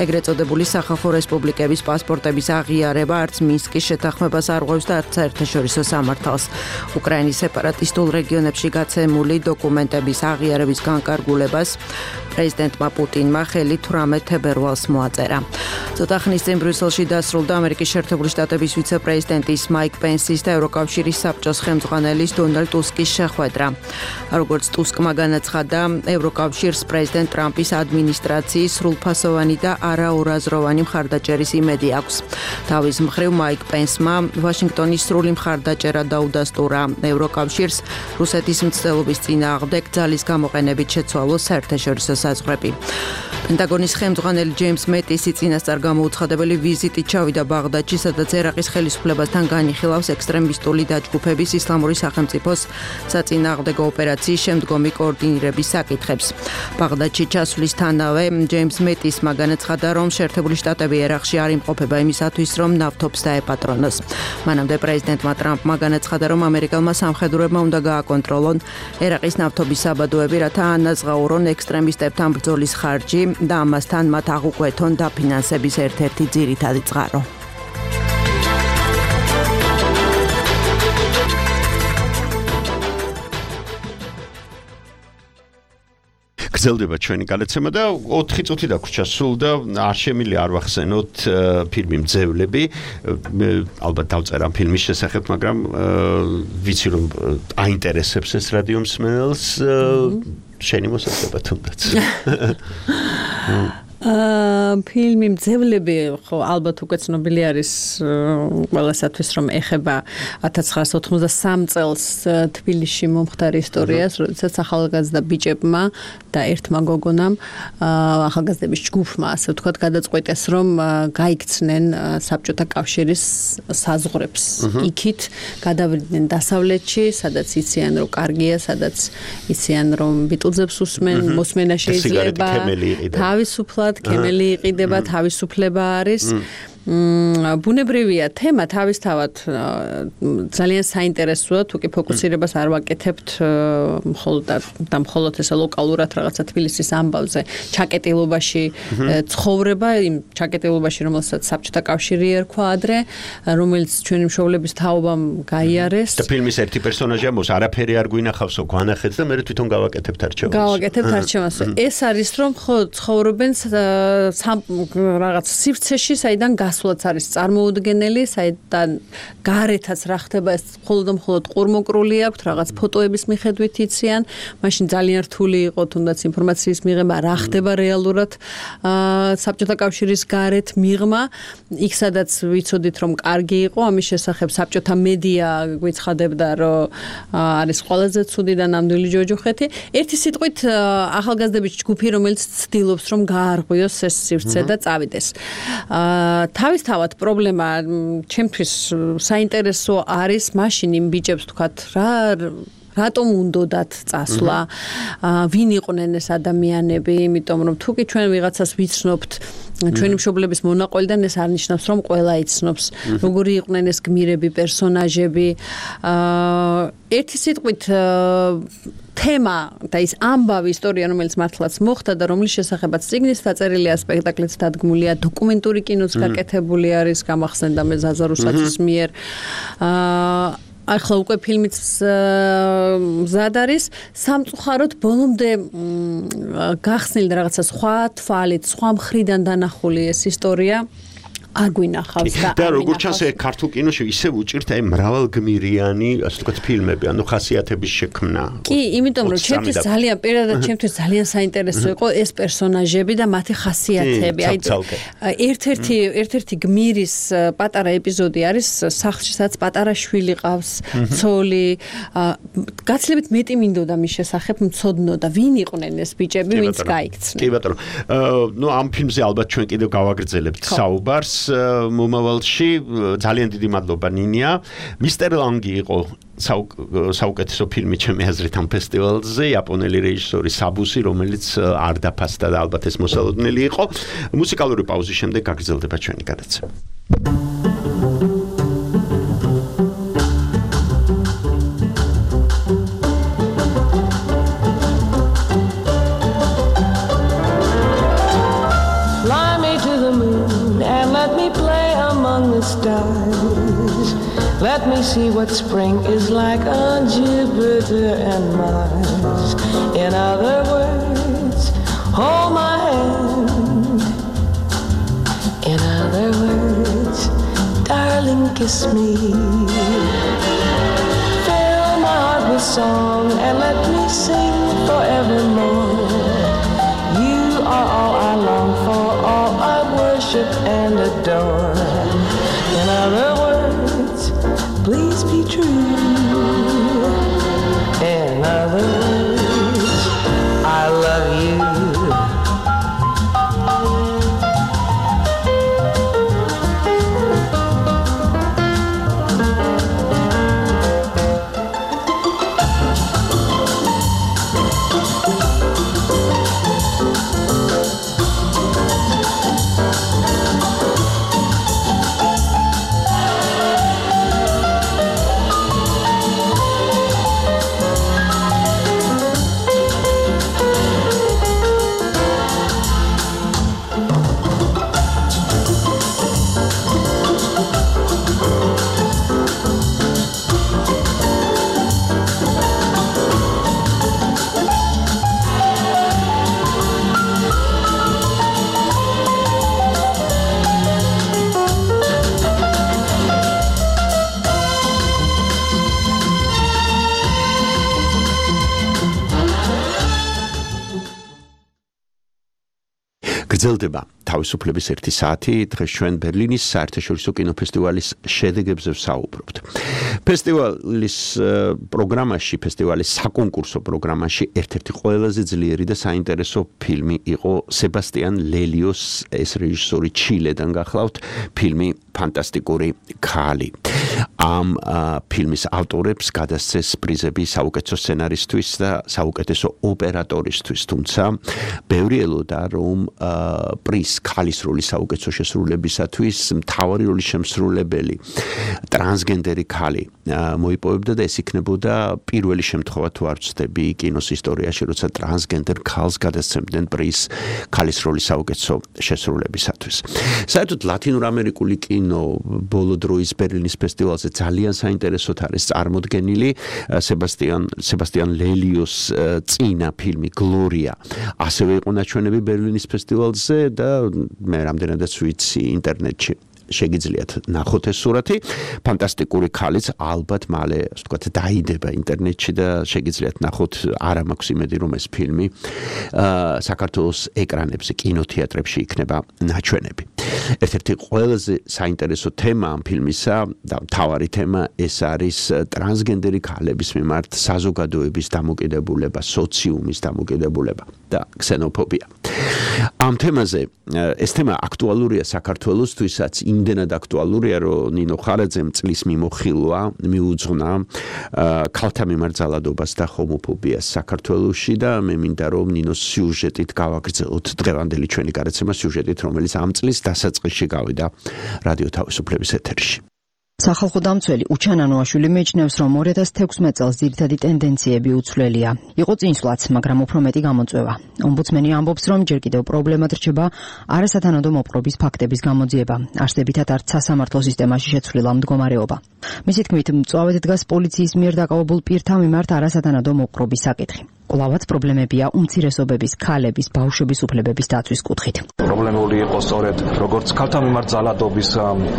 ეგრეთ წოდებული სახალხო რესპუბლიკების პასპორტების აღიარება არც მინსკის შეთანხმებას არღვევს და არც საერთაშორისო სამართალს. უკრაინის სეპარატისტულ რეგიონებში გაცემული დოკუმენტების აღიარების განკარგულებას პრეზიდენტმა პუტინმა ხელი თვრამეტ თებერვალს მოაწერა. ცოტა ხნის წინ ბრიუსელში დასრულდა ამერიკის შეერთებული შტატების ვიცე-პრეზიდენტის მაიკ პენსის და ევროკავშირის საბჭოს ხელმძღვანელის დონალდ ტუსკის შეხვედრა. როგორც ტუსკმა განაცხადა, ევროკავშირს პრეზიდენტ ტრამპის ადმინისტრაციის სრულფასოვანი და არაორაზროვანი მხარდაჭერის იმედი აქვს. თავის მხრივ მაიკ პენსმა ვაშინგტონის სრული მხარდაჭერა დაუდასტურა ევროკავშირს რუსეთის მცდელობის წინააღმდეგ ძალის გამოყენებით შეცვალოს საერთაშორისო საზღვრები. პენტაგონის ხელმძღვანელი ჯეიმს მეტისი წინასწარ გამოუცხადებელი ვიზიტით ჩავიდა ბაღდადში, სადაც ერაყის ხელისუფლებასთან განიხილავს ექსტრემისტული დაჯგუფების ისლამური სახელმწიფოს საწინააღმდეგო ოპერაციის შემდგომი კოორდინირების საკითხებს. ბაღდადში ჩასვლისთანავე ჯეიმს მეტისმა განაცხადა, რომ შეერთებული შტატები ერაყში არ იმყოფება იმისათვის, რომ ნავთობს დაეპატრონოს. მანამდე პრეზიდენტმა ტრამპმა განაცხადა, რომ ამერიკელმა სამხედროებმა უნდა გააკონტროლონ ერაყის ნავთობის საბადოები, რათა ანაზღაურონ ექსტრემისტებთან ბრძოლის ხარჯი და ამასთან მათ აღუკვეთონ დაფინანსების ერთ-ერთი ძირითადი წყარო. გრძელდება ჩვენი გადაცემა და ოთხი წუთი დაგვრჩა სულ და არ შემიძლია არ ვახსენოთ ფილმი მძევლები. ალბათ დავწერა ამ ფილმის შესახებ, მაგრამ ვიცი რომ აინტერესებს ეს რადიო მსმენელს. შენი მოსახლეობა თუნდაც. ფილმი მძევლები ხო ალბათ უკვე ცნობილი არის ყველასათვის, რომ ეხება ათას ცხრაასა ოთხმოცდასამ წელს თბილისში მომხდარ ისტორიას, როდესაც ახალგაზრდა ბიჭებმა და ერთმა გოგონამ ახალგაზრდების ჯგუფმა, ასე ვთქვათ, გადაწყვეტეს, რომ გაიქცნენ საბჭოთა კავშირის საზღვრებს. იქით გადავიდნენ დასავლეთში, სადაც იციან, რომ კარგია, სადაც იციან, რომ ბიტლზებს უსმენ, მოსმენა შეიძლება, თავისუფლად კემელი იყიდება, თავისუფლება არის. ბუნებრივია თემა თავისთავად ძალიან საინტერესოა, თუკი ფოკუსირებას არ ვაკეთებთ მხოლოდ და მხოლოდ ესე ლოკალურად რაღაცა თბილისის ამბავზე, ჩაკეტილობაში ცხოვრება, იმ ჩაკეტილობაში, რომელსაც საბჭოთა კავშირი ერქვა ადრე, რომელიც ჩვენი მშობლების თაობამ გაიარეს. და ფილმის ერთი პერსონაჟია მოს არაფერი არ გვინახავსო, გვანახეთ და მე თვითონ გავაკეთებთ არჩევანს. გავაკეთებთ არჩევანს. ეს არის რომ ხო ცხოვრობენ რაღაც სივრცეში, საიდან გასვლაც არის წარმოუდგენელი, საიდან გარეთაც რა ხდება, ეს მხოლოდ და მხოლოდ ყურმოკრული აქვს, რაღაც ფოტოების მიხედვით იციან, მაშინ ძალიან რთული იყო თუნდაც ინფორმაციის მიღება, რა ხდება რეალურად საბჭოთა კავშირის გარეთ მიღმა, იქ სადაც ვიცოდით რომ კარგი იყო, ამის შესახებ საბჭოთა მედია გვიცხადებდა, რომ არის ყველაზე ცუდი და ნამდვილი ჯოჯოხეთი. ერთი სიტყვით ახალგაზრდების ჯგუფი, რომელიც ცდილობს რომ გაარღვიოს ეს სივრცე და წავიდეს. თავისთავად პრობლემა ჩემთვის საინტერესო არის მაშინ იმ ბიჭებს თქვათ რა რატომ უნდათ წასვლა, ვინ იყვნენ ეს ადამიანები, იმიტომ რომ თუ კი ჩვენ ვიღაცას ვიცნობთ ჩვენი მშობლების მონაყოლიდან, ეს არ ნიშნავს რომ ყველა იცნობს როგორი იყვნენ ეს გმირები, პერსონაჟები. ერთი სიტყვით თემა და ის ამბავი ისტორია, რომელიც მართლაც მოხდა და რომლის შესახებაც წიგნის დაწერილია, სპექტაკლიც დადგმულია, დოკუმენტური კინოც გაკეთებული არის, გამახსენდა მე ზაზა რუსაცის მიერ. ახლა უკვე ფილმიც მზად არის, სამწუხაროდ ბოლომდე გახსნილი რაღაცა სხვა თვალით, სხვა მხრიდან დანახული ეს ისტორია. არ გვინახავს და და როგორც ჩანს ქართულ კინოში ისევ უჭირთ აი მრავალგმირიანი, ასე ვთქვათ, ფილმები, ანუ ხასიათების შექმნა. კი, იმიტომ რომ ჩემთვის ძალიან პირადად ჩემთვის ძალიან საინტერესო იყო ეს პერსონაჟები და მათი ხასიათები. აი ერთ-ერთი ერთ-ერთი გმირის პატარა ეპიზოდი არის სახლში, სადაც პატარა შვილი ყავს, ცოლი. გაცილებით მეტი მინდოდა მის შესახებ მცოდნოდა, ვინ იყვნენ ეს ბიჭები, ვინც გაიქცნენ. კი ბატონო. ნუ ამ ფილმზე ალბათ ჩვენ კიდევ გავაგრძელებთ საუბარს. მომავალში ძალიან დიდი მადლობა ნინია. მისტერ ლანგი იყო საუკეთესო ფილმი ჩემი აზრით ამ ფესტივალზე, იაპონელი რეჟისორი საბუსი, რომელიც არ დაფასდა და ალბათ ეს მოსალოდნელი იყო. მუსიკალური პაუზის შემდეგ გაგრძელდება ჩვენი გადაცემა. stars. Let me see what spring is like on Jupiter and Mars. In other words, hold my hand. In other words, darling, kiss me. Fill my heart with song and let me sing forevermore. You are all I long for, all I worship and adore. In other words, please be true. In other words, I love you. გრძელდება თავისუფლების ერთი საათი. დღეს ჩვენ ბერლინის საერთაშორისო კინოფესტივალის შედეგებზე ვსაუბრობთ. ფესტივალის პროგრამაში, ფესტივალის საკონკურსო პროგრამაში ერთ-ერთი ყველაზე ძლიერი და საინტერესო ფილმი იყო სებასტიან ლელიოს, ეს რეჟისორი ჩილედან გახლავთ, ფილმი ფანტასტიკური ქალი. ამ ფილმის ავტორებს გადასცეს პრიზები საუკეთესო სცენარისთვის და საუკეთესო ოპერატორისთვის, თუმცა ბევრი ელოდა რომ პრიზ ქალის როლის საუკეთესო შესრულებისათვის მთავარი როლის შემსრულებელი ტრანსგენდერი ქალი მოიპოვებდა და ეს იქნებოდა პირველი შემთხვევა თუ არ ვცდები კინოს ისტორიაში, როცა ტრანსგენდერ ქალს გადასცემდნენ პრიზ ქალის როლის საუკეთესო შესრულებისათვის. საერთოდ ლათინურამერიკული კინო ბოლო დროის ბერლინის ფესტივალზე ძალიან საინტერესოდ არის წარმოდგენილი. სებასტიან სებასტიან ლელიოს წინა ფილმი გლორია ასევე იყო ნაჩვენები ბერლინის ფესტივალზე და მე რამდენადაც ვიცი ინტერნეტში შეგიძლიათ ნახოთ ეს სურათი. ფანტასტიკური ქალიც ალბათ მალე, ასე ვთქვათ, დაიდება ინტერნეტში და შეგიძლიათ ნახოთ. არა მაქვს იმედი რომ ეს ფილმი საქართველოს ეკრანებზე, კინოთეატრებში იქნება ნაჩვენები. ერთ-ერთი ყველაზე საინტერესო თემა ამ ფილმისა და მთავარი თემა ეს არის ტრანსგენდერი ქალების მიმართ საზოგადოების დამოკიდებულება, სოციუმის დამოკიდებულება და ქსენოფობია. ამ თემაზე ეს თემა აქტუალურია საქართველოსთვისაც, იმდენად აქტუალურია, რომ ნინო ხარაძემ წლის მიმოხილვა მიუძღვნა ქალთა მიმართ ძალადობას და ჰომოფობიას საქართველოში და მე მინდა რომ ნინოს სიუჟეტით გავაგრძელოთ დღევანდელი ჩვენი გადაცემა სიუჟეტით, რომელიც ამ წლის დასაწყისში გავიდა რადიო თავისუფლების ეთერში. სახალხო დამცველი უჩან ანუაშვილი მეჩნევს, რომ ორი ათას თექვსმეტ წელს ძირითადი ტენდენციები უცვლელია. იყო წინსვლაც, მაგრამ უფრო მეტი გამოწვევა. ომბუდსმენი ამბობს, რომ ჯერ კიდევ პრობლემად რჩება არასათანადო მოპყრობის ფაქტების გამოძიება. არსებითად არც სასამართლო სისტემაში შეცვლილა მდგომარეობა. მისი თქმით, მწვავედ დგას პოლიციის მიერ დაკავებულ პირთა მიმართ არასათანადო მოპყრობის საკითხი. კვლავაც პრობლემებია უმცირესობების, ქალების, ბავშვების უფლებების დაცვის კუთხით. პრობლემური იყო სწორედ როგორც ქალთა მიმართ ძალადობის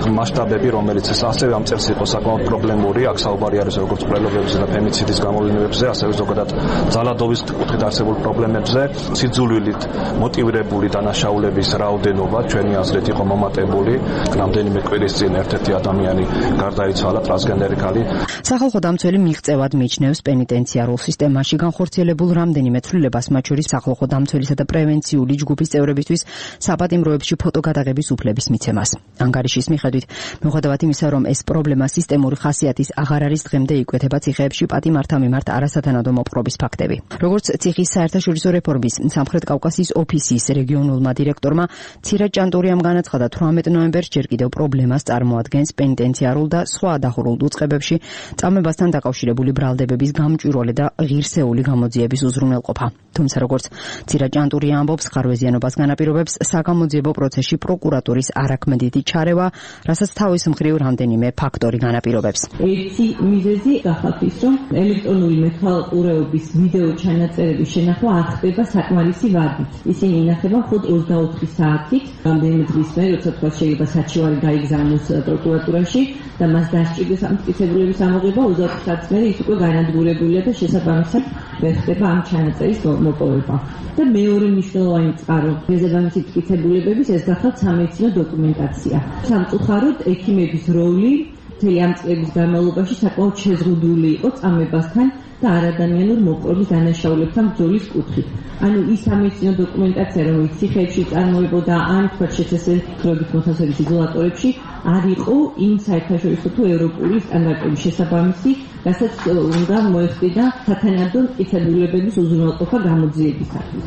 მასშტაბები, რომელიც ეს ასევე ამ წელს იყო საკმაოდ პრობლემური. აქ საუბარი არის როგორც პრელობებზე და ფემიციდის გამოვლინებებზე, ასევე ზოგადად ძალადობის კუთხით არსებულ პრობლემებზე. სიძულვილით მოტივირებული დანაშაულების რაოდენობა ჩვენი აზრით იყო მომატებული. რამდენიმე კვირის წინ ერთ-ერთი ადამიანი გარდაიცვალა, ტრანსგენდერი ქალი. სახალხო დამცველი მიღწევად მიჩნევს პენიტენციარულ სისტემაში განხორციელებულ რამდენიმე ცვლილებას, მათ შორის სახალხო დამცველისა და პრევენციული ჯგუფის წევრებისთვის საპატიმროებში ფოტოგადაღების უფლების მიცემას. ანგარიშის მიხედვით, მიუხედავად იმისა, რომ ეს პრობლემა სისტემური ხასიათის აღარ არის, დღემდე იკვეთება ციხეებში პატიმართა მიმართ არასათანადო მოპყრობის ფაქტები. როგორც ციხის საერთაშორისო რეფორმის სამხრეთ კავკასიის ოფისის რეგიონულმა დირექტორმა ცირა ჭანტურიამ განაცხადა, თვრამეტ ნოემბერს ჯერ კიდევ პრობლემას წარმოადგენს პენიტენციარულ და სხვა დახურულ უწყებებში წამებასთან დაკავშირებული ბრალდებების გამჭვირვალე და ღირსეული გამოძიება. დამოკიდების უზრუნველყოფა. თუმცა როგორც ცირაჭანტური ამბობს, ხარვეზიანობას განაპირობებს საგამოძიებო პროცესში პროკურატურის არაქმედითი ჩარევა, რასაც თავის მხრივ რამდენიმე ფაქტორი განაპირობებს. ერთი მიზეზი გახავთ ის, რომ ელექტრონული მეთვალყურეობის ვიდეო ჩანაწერების შენახვა არ ხდება საკმარისი ვადით. ისინი ინახება მხოლოდ ოცდაოთხი საათით, რამდენიმე დღის მერე, როცა თქვა შეიძლება საჩივარი გაიგზავნოს პროკურატურაში და მას დასჭირდეს ამ მტკიცებულების ამოღება, ოცდაოთხი საათის მერე ის უკვე განადგურებულია და შესაბამისად ვერ ხდება ამ ჩანაწერის მოპოვება. და მეორე მნიშვნელოვანი წყარო შესაბამისი მტკიცებულებების ეს გახავთ სამედიცინო დოკუმენტაცია. სამწუხაროდ ექიმების როლი მთელი ამ წლების განმავლობაში საკმაოდ შეზღუდული იყო წამებასთან და არადამიანურ მოპყრობის დანაშაულებთან ბრძოლის კუთხით. ანუ ის სამედიცინო დოკუმენტაცია, რომელიც ციხეებში წარმოებოდა ან თქვა შეცდომით მოთავსების იზოლატორებში, არ იყო იმ საერთაშორისო თუ ევროპული სტანდარტების შესაბამისი, რასაც უნდა მოეხდინა სათანადო მტკიცებულებების უზრუნველყოფა გამოძიებისათვის.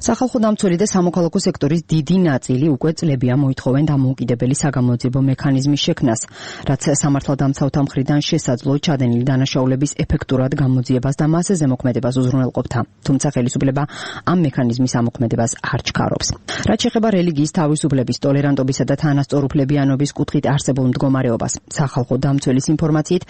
სახალხო დამცველი და სამოქალაქო სექტორის დიდი ნაწილი უკვე წლებია მოითხოვენ დამოუკიდებელი საგამოძიებო მექანიზმის შექმნას, რაც სამართალდამცავთა მხრიდან შესაძლო ჩადენილი დანაშაულების ეფექტურად გამოძიებას და მასზე ზემოქმედებას უზრუნველყოფდა. თუმცა ხელისუფლება ამ მექანიზმის ამოქმედებას არ ჩქარობს. რაც შეეხება რელიგიის თავისუფლების, ტოლერანტობისა და თანასწორუფლებიანობის კუთხით არსებულ მდგომარეობას, სახალხო დამცველის ინფორმაციით,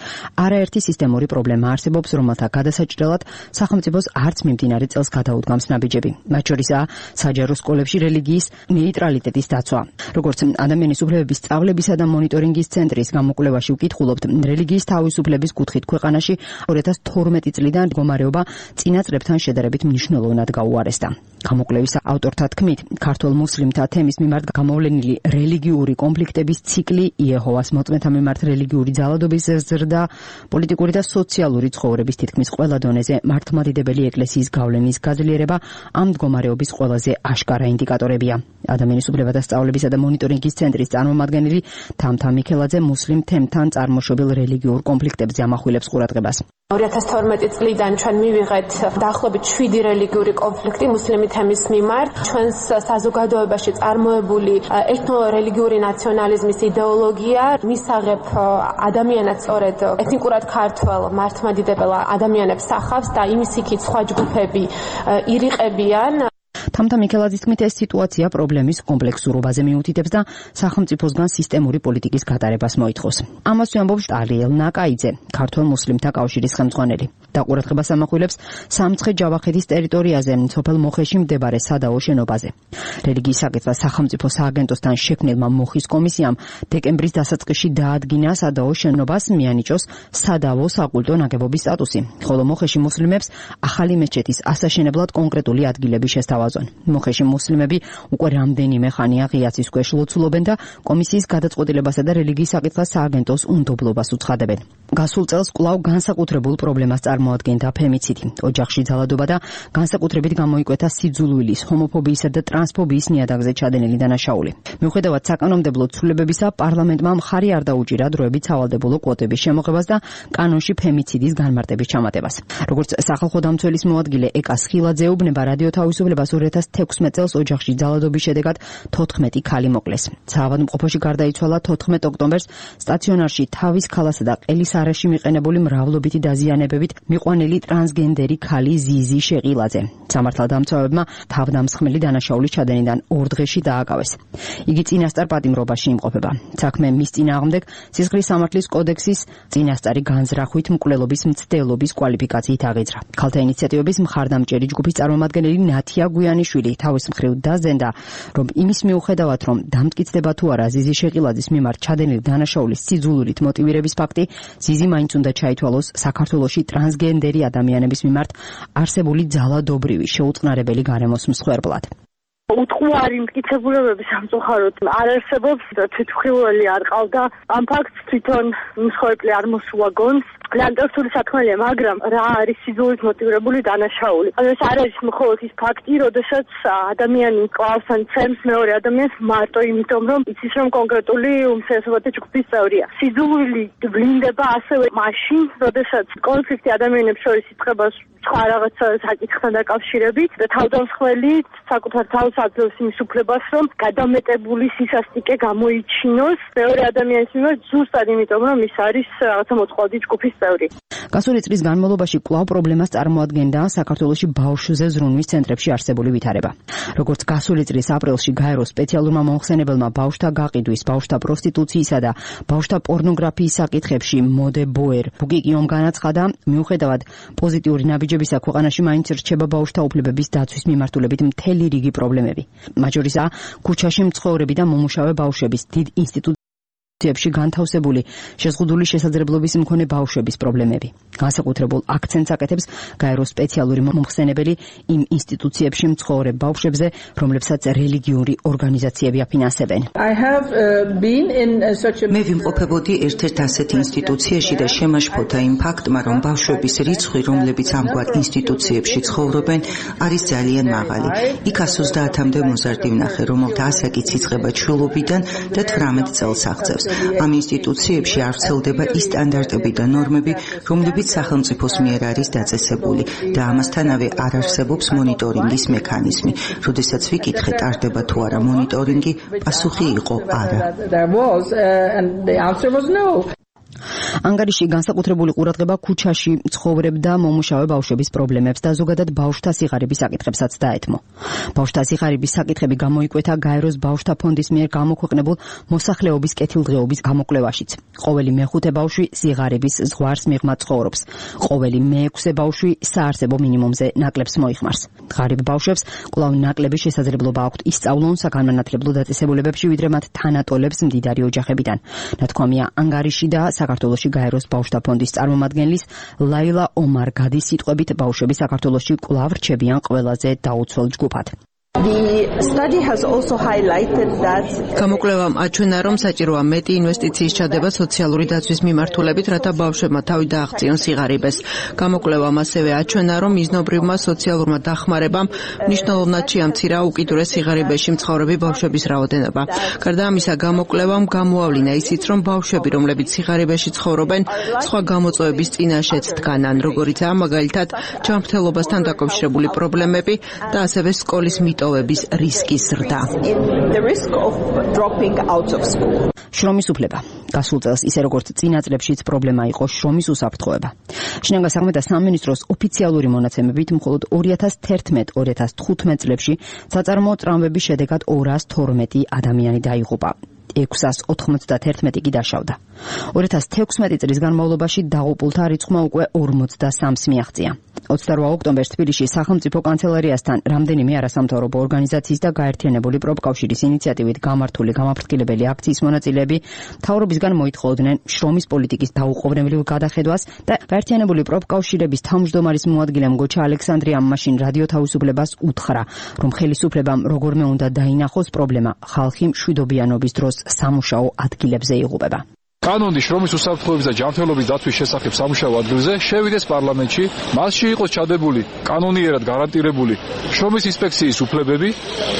არაერთი სისტემური პრობლემა არსებობს, რომელთა გადასაჭრელად სახელმწიფოს არც მიმდინარე წელს გადაუდგამს ნაბიჯები. მათ შორისაა საჯარო სკოლებში რელიგიის ნეიტრალიტეტის დაცვა. როგორც ადამიანის უფლებების სწავლებისა და მონიტორინგის ცენტრის გამოკვლევაში ვკითხულობთ, რელიგიის თავისუფლების კუთხით ქვეყანაში ორი ათას თორმეტი წლიდან მდგომარეობა წინა წლებთან შედარებით მნიშვნელოვნად გაუარესდა. გამოკვლევის ავტორთა თქმით, ქართველ მუსლიმთა თემის მიმართ გამოვლენილი რელიგიური კონფლიქტების ციკლი, იეჰოვას მოწმეთა მიმართ რელიგიური ძალადობის ზრდა, პოლიტიკური და სოციალური ცხოვრების თითქმის ყველა დონეზე მართლმადიდებელი ეკლესიის გავლენის გაძლიერება ამ მდგომარეობის ყველაზე აშკარა ინდიკატორებია. ადამიანის უფლებათა სწავლებისა და მონიტორინგის ცენტრის წარმომადგენელი თამთა მიქელაძე მუსლიმ თემთან წარმოშობილ რელიგიურ კონფლიქტებზე ამახვილებს ყურადღებას. ორი ათას თორმეტი წლიდან ჩვენ მივიღეთ დაახლოებით შვიდი რელიგიური კონფლიქტი მუსლიმი თემის მიმართ. ჩვენს საზოგადოებაში წარმოებული ეთნო-რელიგიური ნაციონალიზმის იდეოლოგია მისაღებ ადამიანად სწორედ ეთნიკურად ქართველ მართლმადიდებელ ადამიანებს ახავს და იმის იქით სხვა ჯგუფები ირიყებიან. თამთა მიქელაძის თქმით, ეს სიტუაცია პრობლემის კომპლექსურობაზე მიუთითებს და სახელმწიფოსგან სისტემური პოლიტიკის გატარებას მოითხოვს. ამასვე ამბობს ტალიელ ნაკაიძე, ქართველ მუსლიმთა კავშირის ხელმძღვანელი. და ყურადღებას ამახვილებს სამცხე-ჯავახეთის ტერიტორიაზე, სოფელ მოხეში მდებარე სადაო შენობაზე. რელიგიის საკითხთა სახელმწიფო სააგენტოსთან შექმნილმა მოხის კომისიამ დეკემბრის დასაწყისში დაადგინა სადაო შენობას მიანიჭოს სადაო საკულტო ნაგებობის სტატუსი, ხოლო მოხეში მუსლიმებს ახალი მეჩეთის ასაშენებლად კონკრეტული ადგილები შესთავაზონ. მოხეში მუსლიმები უკვე რამდენიმე ხანია ღიაცის ქვეშ ლოცულობენ და კომისიის გადაწყვეტილებასა და რელიგიის საკითხთა სააგენტოს უნდობლობას უცხადებენ. გასულ წელს კვლავ განსაკუთრებულ პრობლემას წარმოადგენდა ფემიციდი, ოჯახში ძალადობა და განსაკუთრებით გამოიკვეთა სიძულვილის, ჰომოფობიისა და ტრანსფობიის ნიადაგზე ჩადენილი დანაშაული. მიუხედავად საკანონმდებლო ცვლილებებისა, პარლამენტმა მხარი არ დაუჭირა დროებით სავალდებულო კვოტების შემოღებას და კანონში ფემიციდის განმარტების ჩამატებას. როგორც სახალხო დამცველის მოადგილე ეკა სხილაძე ეუბნება, რადიო თავისუფლებას ორი ათას თექვსმეტ წელს ოჯახში ძალადობის შედეგად თოთხმეტი ქალი მოკლეს. საავადმყოფოში გარდაიცვალა თოთხმეტ ოქტომბერს სტაციონარში თავის ქალასა და ყელის არეში მიყენებული მრავლობითი დაზიანებებით მიყვანილი ტრანსგენდერი ქალი ზიზი შეყილაძე. სამართალდამცავებმა თავდამსხმელი დანაშაულის ჩადენიდან ორ დღეში დააკავეს. იგი წინასწარ პატიმრობაში იმყოფება. საქმე მის წინააღმდეგ სისხლის სამართლის კოდექსის წინასწარი განზრახვით მკვლელობის მცდელობის კვალიფიკაციით აღიძრა. ქალთა ინიციატივების მხარდამჭერი ჯგუფის წარმომადგენელი ნათია გვიანიშვილი თავის მხრივ დაზენდა, რომ იმის მიუხედავად, რომ დამტკიცდება თუ არა ზიზი შეყილაძის მიმართ ჩადენილი დანაშაულის სიძულვილით მოტივირების ფაქტი, ზიზი მაინც უნდა ჩაითვალოს საქართველოში ტრანსგენდერი ადამიანების მიმართ არსებული ძალადობრივი შეუწყნარებელი გარემოს მსხვერპლად. უთხოვარი მტკიცებულებები სამწუხაროდ არ არსებობს და თვითმხილველი არ ყავდა. ამ ფაქტს თვითონ მსხვერპლი არ მოსულა გონს. ლანდორფული საქმეა, მაგრამ რა არის სიძულით მოტივირებული დანაშაული? ანუ ეს არ არის მხოლოდ ის ფაქტი, როდესაც ადამიანი კლავს ან ცემს მეორე ადამიანს მარტო იმიტომ, რომ იცის, რომ კონკრეტული უმცირესობათა ჯგუფის წევრია. სიძულვილი ვლინდება ასევე მაშინ, როდესაც კონფლიქტი ადამიანებს შორის იწყება სხვა რაღაცა საკითხთან დაკავშირებით და თავდამსხმელი საკუთარ თავს აძლევს იმის უფლებას, რომ გადამეტებული სისასტიკე გამოიჩინოს მეორე ადამიანის მიმართ ზუსტად იმიტომ, რომ ის არის რაღაცა მოწყვლადი ჯგუფის წევრი. გასული წლის განმავლობაში კვლავ პრობლემას წარმოადგენდა საქართველოში ბავშვზე ზრუნვის ცენტრებში არსებული ვითარება. როგორც გასული წლის აპრილში გაეროს სპეციალურმა მომხსენებელმა ბავშვთა გაყიდვის, ბავშვთა პროსტიტუციისა და ბავშვთა პორნოგრაფიის საკითხებში მოდე ბოერ ბუკიკიომ განაცხადა, მიუხედავად პოზიტიური ნაბიჯებისა, ქვეყანაში მაინც რჩება ბავშვთა უფლებების დაცვის მიმართულებით მთელი რიგი პრობლემები. მათ შორისაა ქუჩაში მცხოვრები და მომუშავე ბავშვების, დიდ ინსტიტუციებში განთავსებული შეზღუდული შესაძლებლობის მქონე ბავშვების პრობლემები. განსაკუთრებულ აქცენტს აკეთებს გაეროს სპეციალური მომხსენებელი იმ ინსტიტუციებში მცხოვრებ ბავშვებზე, რომლებსაც რელიგიური ორგანიზაციები აფინანსებენ. მე ვიმყოფებოდი ერთ-ერთ ასეთ ინსტიტუციაში და შემაშფოთა იმ ფაქტმა, რომ ბავშვების რიცხვი, რომლებიც ამგვარ ინსტიტუციებში ცხოვრობენ, არის ძალიან მაღალი. იქ ას ოცდაათამდე მოზარდი ვნახე, რომელთა ასაკიც იწყება ჩვილობიდან და თვრამეტ წელს აღწევს. ამ ინსტიტუციებში არ ვრცელდება ის სტანდარტები და ნორმები, რომლებიც სახელმწიფოს მიერ არის დაწესებული და ამასთანავე არ არსებობს მონიტორინგის მექანიზმი. როდესაც ვიკითხე, ტარდება თუ არა მონიტორინგი, პასუხი იყო არა. ანგარიში განსაკუთრებული ყურადღება ქუჩაში მცხოვრებ და მომუშავე ბავშვების პრობლემებს და ზოგადად ბავშვთა სიღარიბის საკითხებსაც დაეთმო. ბავშვთა სიღარიბის საკითხები გამოიკვეთა გაეროს ბავშვთა ფონდის მიერ გამოქვეყნებულ მოსახლეობის კეთილდღეობის გამოკვლევაშიც. ყოველი მეხუთე ბავშვი სიღარიბის ზღვარს მიღმა ცხოვრობს. ყოველი მეექვსე ბავშვი საარსებო მინიმუმზე ნაკლებს მოიხმარს. ღარიბ ბავშვებს კვლავ ნაკლები შესაძლებლობა აქვთ ისწავლონ საგანმანათლებლო დაწესებულებებში, ვიდრე მათ თანატოლებს მდიდარი ოჯახებიდან. ნათქვამია ანგარიში და საქართველოში გაეროს ბავშვთა ფონდის წარმომადგენლის ლაილა ომარ გადის სიტყვებით, ბავშვები საქართველოში კვლავ რჩებიან ყველაზე დაუცველ ჯგუფად. გამოკვლევამ აჩვენა, რომ საჭიროა მეტი ინვესტიციის ჩადება სოციალური დაცვის მიმართულებით, რათა ბავშვებმა თავი დააღწიონ სიღარიბეს. გამოკვლევამ ასევე აჩვენა, რომ მიზნობრივმა სოციალურმა დახმარებამ მნიშვნელოვნად შეამცირა უკიდურეს სიღარიბეში მცხოვრები ბავშვების რაოდენობა. გარდა ამისა, გამოკვლევამ გამოავლინა ისიც, რომ ბავშვები, რომლებიც სიღარიბეში ცხოვრობენ, სხვა გამოწვევების წინაშეც დგანან, როგორიცაა მაგალითად ჯანმრთელობასთან დაკავშირებული პრობლემები და ასევე სკოლის მიტოვების რისკის ზრდა. შრომის უფლება. გასულ წელს ისე როგორც წინა წლებშიც პრობლემა იყო შრომის უსაფრთხოება. შინაგან საქმეთა სამინისტროს ოფიციალური მონაცემებით მხოლოდ ორი ათას თერთმეტ ორი ათას თხუთმეტ წლებში საწარმოო ტრამვების შედეგად ორას თორმეტი ადამიანი დაიღუპა. ექვსას ოთხმოცდათერთმეტი კი დაშავდა. ორი ათას თექვსმეტი წლის განმავლობაში დაღუპულთა რიცხვმა უკვე ორმოცდასამს მიაღწია. ოცდარვა ოქტომბერს თბილისში სახელმწიფო კანცელარიასთან რამდენიმე არასამთავრობო ორგანიზაციის და გაერთიანებული პროფკავშირის ინიციატივით გამართული გამაფრთხილებელი აქციის მონაწილეები მთავრობისგან მოითხოვდნენ შრომის პოლიტიკის დაუყოვნებლივ გადახედვას და გაერთიანებული პროფკავშირების თავმჯდომარის მოადგილემ გოჩა ალექსანდრიამ მაშინ რადიო თავისუფლებას უთხრა, რომ ხელისუფლებამ როგორმე უნდა დაინახოს პრობლემა, ხალხი მშვიდობიანობის დროს სამუშაო ადგილებზე იღუპება. კანონი შრომის უსაფრთხოების და ჯანმრთელობის დაცვის შესახებ სამუშაო ადგილზე შევიდეს პარლამენტში, მასში იყოს ჩადებული კანონიერად გარანტირებული შრომის ინსპექციის უფლებები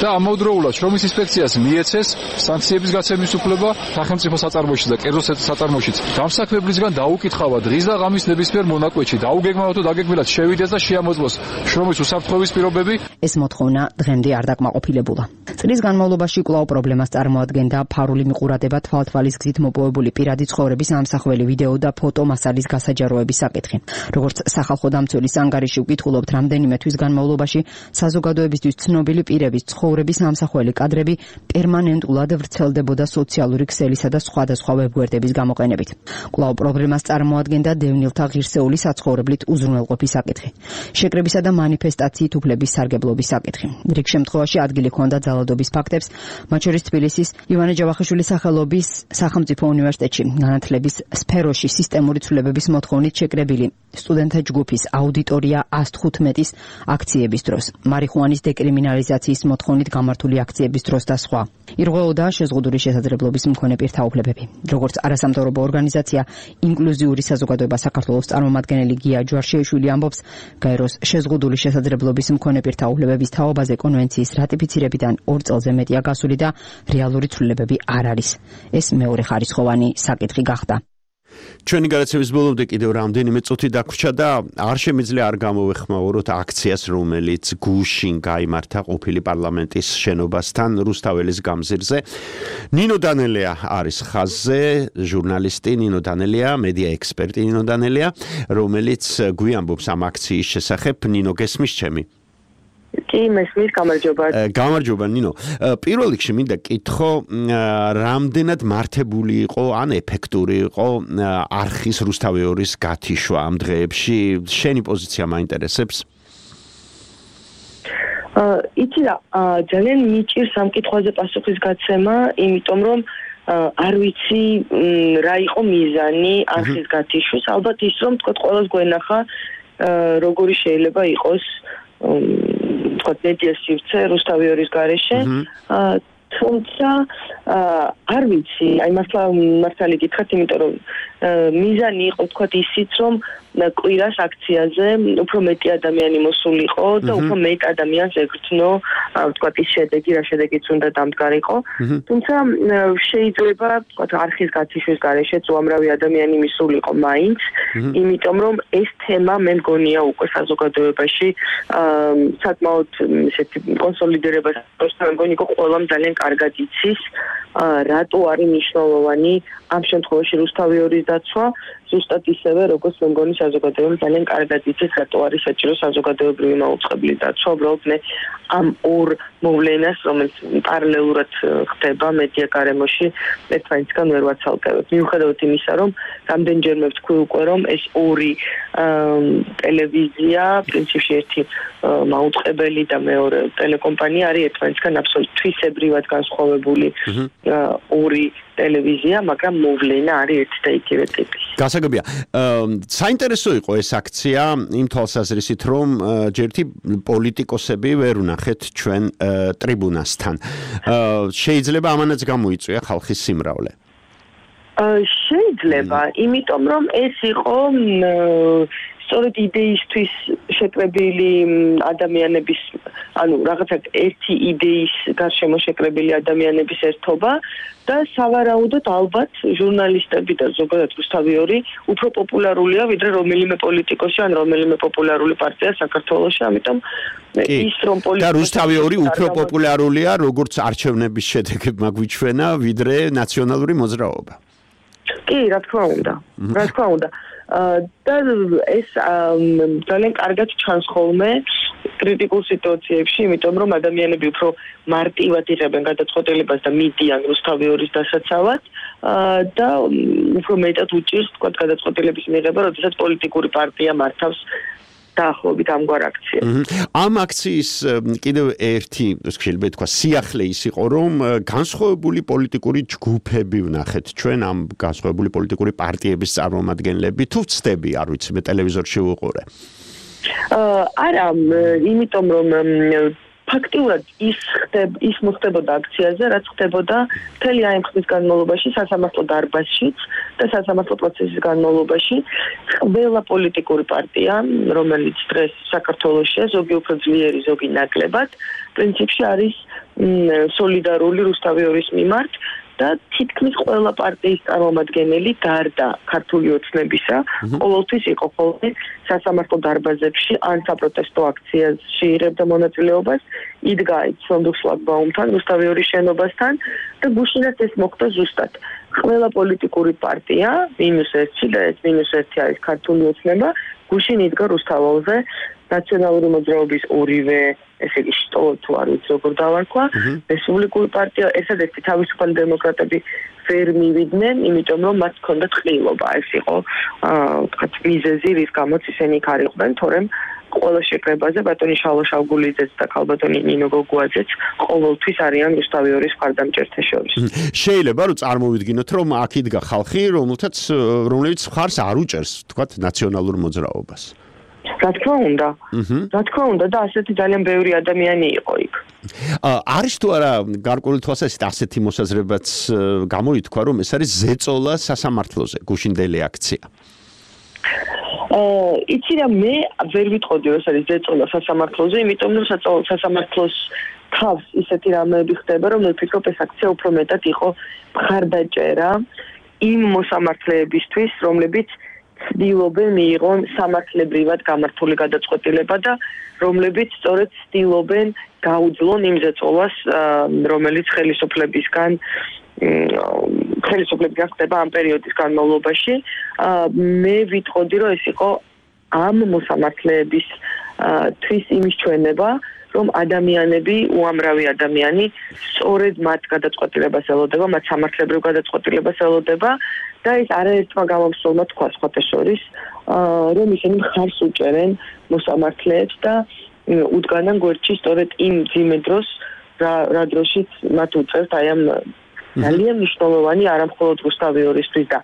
და ამავდროულად შრომის ინსპექციას მიეცეს სანქციების გაცემის უფლება სახელმწიფო საწარმოებში და კერძო საწარმოშიც. დამსაქმებლისგან დაუკითხავა დღის და ღამის ნებისმიერ მონაკვეთში დაუგეგმავად თუ დაგეგმილად შევიდეს და შეამოწმოს შრომის უსაფრთხოების პირობები. ეს მოთხოვნა დღემდე არ დაკმაყოფილებულა. წლის განმავლობაში კვლავ პრობლემას წარმოადგენდა ფარული მიყურადება, თვალთვალის გზით მოპოვებული პირადი ცხოვრების ამსახველი ვიდეო და ფოტო მასალის გასაჯაროების საკითხი. როგორც სახალხო დამცველის ანგარიში ვკითხულობთ, რამდენიმე თვის განმავლობაში საზოგადოებისთვის ცნობილი პირების ცხოვრების ამსახველი კადრები პერმანენტულად ვრცელდებოდა სოციალური ქსელისა და სხვადასხვა ვებგვერდების გამოყენებით. კვლავ პრობლემას წარმოადგენდა დევნილთა ღირსეული საცხოვრებლით უზრუნველყოფის საკითხი. შეკრებისა და მანიფესტაციით უფლების სარგებლობის საკითხი. რიგ შემთხვევაში ადგილი ჰქონდა ძალადობის ფაქტებს, მათ შორის თბილისის ივანე ჯავახიშვილის სახელობის სახელმწიფო უნივერსიტეტში განათლების სფეროში სისტემური ცვლილებების მოთხოვნით შეკრებილი სტუდენტთა ჯგუფის აუდიტორია ას თხუთმეტის აქციების დროს, მარიხუანის დეკრიმინალიზაციის მოთხოვნით გამართული აქციების დროს და სხვა. ირღვეოდა შეზღუდული შესაძლებლობის მქონე პირთა უფლებები. როგორც არასამთავრობო ორგანიზაცია ინკლუზიური საზოგადოება საქართველოს წარმომადგენელი გია ჯვარშიშვილი ამბობს, გაეროს შეზღუდული შესაძლებლობის მქონე პირთა უფლებების თაობაზე კონვენციის რატიფიცირებიდან ორ წელზე მეტია გასული და რეალური ცვლილებები არ არის. ეს მეორე ხარისხოვანი საკითხი გახდა. ჩვენი გადაცემის ბოლომდე კიდევ რამდენიმე წუთი დაგვრჩა და არ შემიძლია არ გამოვეხმაუროთ აქციას, რომელიც გუშინ გაიმართა ყოფილი პარლამენტის შენობასთან რუსთაველის გამზირზე. ნინო დანელია არის ხაზზე, ჟურნალისტი ნინო დანელია, მედია ექსპერტი ნინო დანელია, რომელიც გვიამბობს ამ აქციის შესახებ. ნინო, გესმის ჩემი? კი, მესმის, გამარჯობა. გამარჯობა, ნინო. პირველ რიგში მინდა კითხო, რამდენად მართებული იყო, ან ეფექტური იყო არხის რუსთავეორის გათიშვა ამ დღეებში? შენი პოზიცია მაინტერესებს. იცი რა, ძალიან მიჭირს ამ კითხვაზე პასუხის გაცემა, იმიტომ რომ არ ვიცი რა იყო მიზანი არხის გათიშვის. ალბათ ის რომ თქვა ყველას გვენახა როგორი შეიძლება იყოს თქვა მედია სივრცე რუსთავეორის გარეშე. თუმცა არ ვიცი, აი მართლა მართალი გითხრათ, იმიტომ რომ მიზანი იყო თქვა ისიც რომ კვირას აქციაზე უფრო მეტი ადამიანი მოსულიყო და უფრო მეტ ადამიანს ეკრთნო თქვა ის შედეგი, რა შედეგიც უნდა დამდგარიყო. თუმცა შეიძლება თქვა არხის გათიშვის გარეშეც უამრავი ადამიანი მისულიყო მაინც, იმიტომ რომ ეს თემა მე მგონია უკვე საზოგადოებაში საკმაოდ ესეთი კონსოლიდირებას მე მგონი იყო ყველამ ძალიან კარგად იცის რატო არის მნიშვნელოვანი ამ შემთხვევაში რუსთავეორის დაცვა, ზუსტად ისევე როგორც მე მგონი საზოგადოებამ ძალიან კარგად იცის რატო არის საჭირო საზოგადოებრივი მაუწყებლი დაცვა. უბრალოდ მე ამ ორ მოვლენას, რომელიც პარალელურად ხდება მედია გარემოში, ერთმანეთისგან ვერ ვაცალკევებ. მიუხედავად იმისა, რომ რამდენჯერმე ვთქვი უკვე, რომ ეს ორი ტელევიზია, პრინციპში ერთი მაუწყებელი და მეორე ტელეკომპანია არის ერთმანეთისგან აბსოლუტურად თვისებრივად განსხვავებული ორი ტელევიზია, მაგრამ მოვლენა არის ერთი და იგივე ტიპის. გასაგებია. საინტერესო იყო ეს აქცია იმ თვალსაზრისით, რომ ჯერთი პოლიტიკოსები ვერ ვნახეთ ჩვენ ტრიბუნასთან. შეიძლება ამანაც გამოიწვია ხალხის სიმრავლე. შეიძლება, იმიტომ რომ ეს იყო სწორედ იდეისთვის შეკრებილი ადამიანების, ანუ რაღაცა ერთი იდეის გარშემო შეკრებილი ადამიანების ერთობა და სავარაუდოდ ალბათ ჟურნალისტები და ზოგადად რუსთავეორი უფრო პოპულარულია ვიდრე რომელიმე პოლიტიკოსი ან რომელიმე პოპულარული პარტია საქართველოში, ამიტომ ის რომ პოლიტიკოსი და რუსთავეორი უფრო პოპულარულია როგორც არჩევნების შედეგებმა გვიჩვენა ვიდრე ნაციონალური მოძრაობა. კი, რა თქმა უნდა. რა თქმა უნდა. და ეს ძალიან კარგად ჩანს ხოლმე კრიტიკულ სიტუაციებში, იმიტომ რომ ადამიანები უფრო მარტივად იღებენ გადაწყვეტილებას და მიდიან რუსთავეორის დასაცავად და უფრო მეტად უჭირს თქვა გადაწყვეტილების მიღება, როდესაც პოლიტიკური პარტია მართავს დაახლოებით ამგვარ აქციას. ამ აქციის კიდევ ერთი, შეიძლება ითქვა, სიახლე ის იყო, რომ განსხვავებული პოლიტიკური ჯგუფები ვნახეთ ჩვენ ამ განსხვავებული პოლიტიკური პარტიების წარმომადგენლები. თუ ვცდები, არ ვიცი, მე ტელევიზორში ვუყურე. არა, იმიტომ რომ ფაქტიურად ის ხდება, ის მოხდებოდა აქციაზე, რაც ხდებოდა მთელი აი ამ ხნის განმავლობაში სასამართლო დარბაზშიც და სასამართლო პროცესის განმავლობაში ყველა პოლიტიკური პარტია, რომელიც დღეს საქართველოშია, ზოგი უფრო ძლიერი, ზოგი ნაკლებად, პრინციპში არის სოლიდარული რუსთავეორის მიმართ და თითქმის ყველა პარტიის წარმომადგენელი გარდა ქართული ოცნებისა ყოველთვის იყო ხოლმე სასამართლო დარბაზებში ან საპროტესტო აქციაში იღებდა მონაწილეობას, იდგა ცნობილ შლაგბაუმთან, რუსთავეორის შენობასთან და გუშინაც ეს მოხდა ზუსტად. ყველა პოლიტიკური პარტია, მინუს ერთი და ეს მინუს ერთი არის ქართული ოცნება, გუშინ იდგა რუსთაველზე ნაციონალური მოძრაობის ორივე, ესე იგი შტო თუ არ ვიცი როგორ დავარქვა, რესპუბლიკური პარტია, ესადეთი თავისუფალი დემოკრატები ვერ მივიდნენ, იმიტომ რომ მათ ჰქონდათ ყრილობა. ეს იყო თქვა მიზეზი, რის გამოც ისინი იქ არ იყვნენ, თორემ ყველა შეკრებაზე ბატონი შალვა შავგულიძეც და ქალბატონი ნინო გოგუაძეც ყოველთვის არიან რუსთავეორის მხარდამჭერთა შორის. შეიძლება რომ წარმოვიდგინოთ, რომ აქ იდგა ხალხი, რომელთაც რომლებიც მხარს არ უჭერს, თქვა ნაციონალურ მოძრაობას. რა თქმა უნდა. რა თქმა უნდა და ასეთი ძალიან ბევრი ადამიანი იყო იქ. არის თუ არა გარკვეული თვალსაზრისით ასეთი მოსაზრებაც გამოითქვა, რომ ეს არის ზეწოლა სასამართლოზე, გუშინდელი აქცია. აა იცი რა მე ვერ ვიტყოდი რომ ეს არის ზეწოლა სასამართლოზე, იმიტომ რომ სასამართლოს თავს ისეთი რამეები ხდება, რომ მე ვფიქრობ ეს აქცია უფრო მეტად იყო მხარდაჭერა იმ მოსამართლეებისთვის, რომლებიც ცდილობენ მიიღონ სამართლებრივად გამართული გადაწყვეტილება და რომლებიც სწორედ ცდილობენ გაუძლონ იმ ზეწოლას, რომელიც ხელისუფლებისგან ხელისუფლებისგან ხდება ამ პერიოდის განმავლობაში. მე ვიტყოდი, რომ ეს იყო ამ მოსამართლეების თვის იმის ჩვენება, რომ ადამიანები, უამრავი ადამიანი სწორედ მათ გადაწყვეტილებას ელოდება, მათ სამართლებრივ გადაწყვეტილებას ელოდება და ეს არაერთმა გამომსვლელმა თქვა სხვათა შორის, რომ ისინი მხარს უჭერენ მოსამართლეებს და უდგანან გვერდში სწორედ იმ ძიმე დროს, რა დროშიც მათ უწევთ აი ამ ძალიან მნიშვნელოვანი არამხოლოდ რუსთავიორისთვის და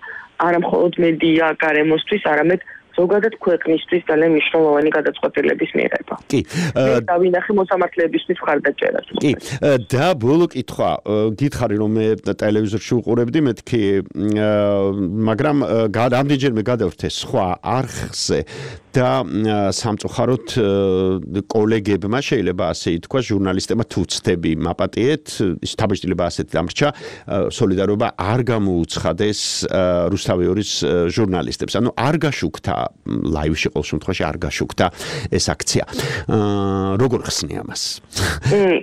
არამხოლოდ მედია გარემოსთვის, არამედ ზოგადად ქვეყნისთვის ძალიან მნიშვნელოვანი გადაწყვეტილების მიღება. კი. და ვინახე მოსამართლეებისთვის მხარდაჭერას. კი. და ბოლო კითხვა, გითხარი რომ მე ტელევიზორში უყურებდი მეთქი, მაგრამ რამდენჯერმე გადავრთე სხვა არხზე და სამწუხაროდ კოლეგებმა შეიძლება ასე ითქვა, ჟურნალისტებმა თუ ცდები მაპატიეთ, ის თაბეჭდილება ასეთ დამრჩა, სოლიდარობა არ გამოუცხადეს რუსთავიორის ჟურნალისტებს. ანუ არ გაშუქთა ლაივში ყოველ შემთხვევაში არ გაშუქთა ეს აქცია. როგორ ხსნი ამას?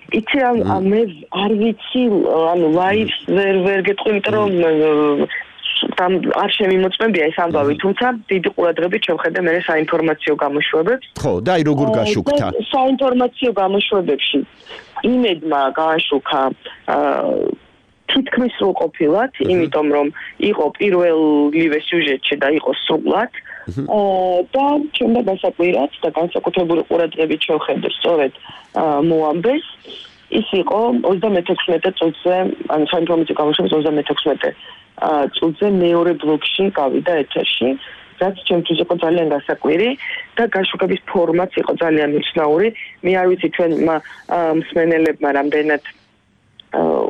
იცი მე არ ვიცი, ანუ ლაივს ვერ ვერ გეტყვი, იმიტომ რომ там არ შემიმოწმებია ეს ამბავი, თუმცა დიდი ყურადღებით შევხედე მე საინფორმაციო გამოშვებებს. ხო, და აი როგორ გაშუქთა? საინფორმაციო გამოშვებებში იმედმა გააშუქა თითქმის სრულყოფილად, იმიტომ რომ იყო პირველივე სიუჟეტში და იყო სრულად. და ჩემდა გასაკვირად და განსაკუთრებული ყურადღებით შევხედე სწორედ მოამბეს. ის იყო ოცდამეთექვსმეტე წუთზე, ანუ საინფორმაციო გამოშვების ოცდამეთექვსმეტე წუთზე მეორე ბლოკში გავიდა ეთერში, რაც ჩემთვის იყო ძალიან გასაკვირი და გაშუქების ფორმაც იყო ძალიან უცნაური. მე არ ვიცი ჩვენ მსმენელებმა რამდენად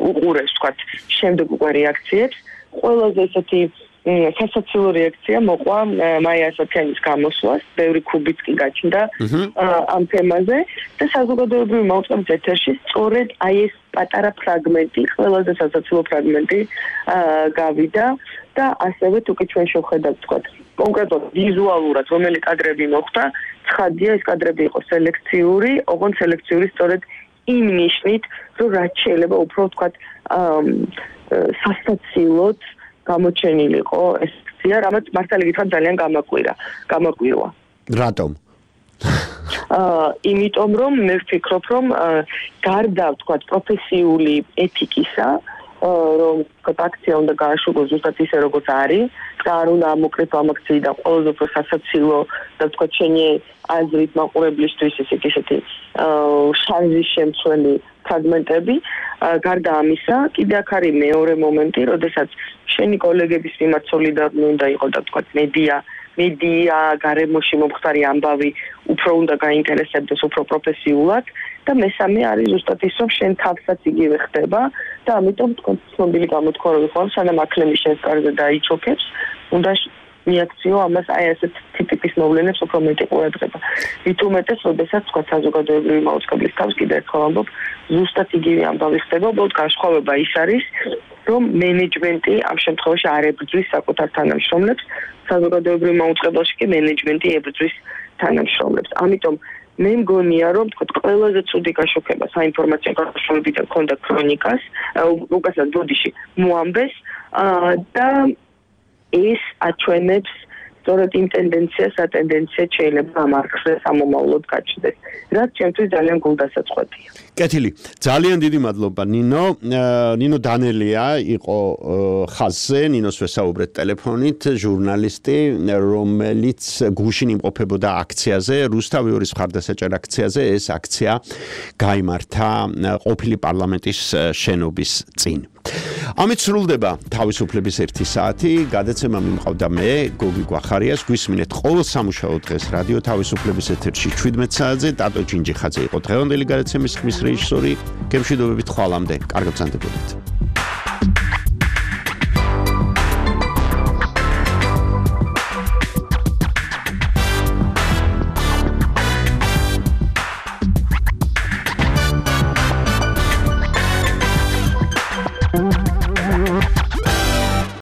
უყურეს, ვთქვათ, შემდეგ უკვე რეაქციებს. ყველაზე ესეთი სასაცილო რეაქცია მოყვა მაია ასათიანის გამოსვლას, ბევრი ქუბიც კი გაჩნდა ამ თემაზე და საზოგადოებრივი მაუწყებლის ეთერში სწორედ აი ეს პატარა ფრაგმენტი, ყველაზე სასაცილო ფრაგმენტი გავიდა და ასევე თუკი ჩვენ შევხედავთ, ვთქვათ, კონკრეტულად ვიზუალურად რომელი კადრები მოხდა, ცხადია ეს კადრები იყო სელექციური, ოღონდ სელექციური სწორედ იმ ნიშნით, რომ რაც შეიძლება უფრო, ვთქვათ, სასაცილოდ გამოჩენილიყო ეს აქცია, რამაც მართალი გითხრათ ძალიან გამაკვირა, გამაკვირვა. რატომ? აა, იმიტომ რომ მე ვფიქრობ, რომ გარდა ვთქვათ პროფესიული ეთიკისა, რომ აქცია უნდა გააშუქოს ზუსტად ისე როგორც არის, და არ უნდა ამოკრიფო ამ აქციიდან ყველაზე უფრო სასაცილო და ვთქვათ შენი აზრით მაყურებლისთვის ისეთი შარჟის შემცველი ფრაგმენტები. გარდა ამისა, კიდე აქ არის მეორე მომენტი, როდესაც შენი კოლეგების მიმართ სოლიდარული უნდა იყოს და ვთქვათ მედია, მედია გარემოში მომხდარი ამბავი უფრო უნდა გაინტერესებდეს უფრო პროფესიულად და მესამე არის ზუსტად ის, რომ შენ თავსაც იგივე ხდება და ამიტომ თქო ცნობილი გამოთქმები ხო, სანამ აქლემი შენს კარზე დაიჩოქებს, უნდა მიაქციო ამას აი ასეთ ტიპის მოვლენებს უფრო მეტი ყურადღება. მით უმეტეს, როდესაც თქვა საზოგადოებრივი მაუწყებლის თავს კიდე ერთხელ ამბობ, ზუსტად იგივე ამბავი ხდება, უბრალოდ განსხვავება ის არის, რომ მენეჯმენტი ამ შემთხვევაში არ ებრძვის საკუთარ თანამშრომლებს, საზოგადოებრივ მაუწყებელში კი მენეჯმენტი ებრძვის თანამშრომლებს. ამიტომ მე მგონია, რომ თქო ყველაზე ცუდი გაშუქება საინფორმაციო გამოშვებიდან ქონდა ქრონიკას, უკაცრავად ბოდიში მოამბეს და ეს აჩვენებს სწორედ იმ ტენდენციას, ატენდენციად შეიძლება ამ არხზე სამომავლოდ გაჩნდეს, რაც ჩემთვის ძალიან გულდასაწყვეტია. კეთილი, ძალიან დიდი მადლობა ნინო. ნინო დანელია იყო ხაზზე, ნინოს ვესაუბრეთ ტელეფონით, ჟურნალისტი, რომელიც გუშინ იმყოფებოდა აქციაზე, რუსთავიორის მხარდასაჭერ აქციაზე. ეს აქცია გაიმართა ყოფილი პარლამენტის შენობის წინ. ამით სრულდება თავისუფლების ერთი საათი. გადაცემა მიმყავდა მე, გოგი გვახარიას. გვისმინეთ ყოველ სამუშაო დღეს რადიო თავისუფლების ეთერში შვიდმეტ საათზე. ტატო ჯინჯიხაძე იყო დღევანდელი გადაცემის ხმის რეჟისორი. გემშვიდობებით ხვალამდე. კარგად გრძანდებოდეთ.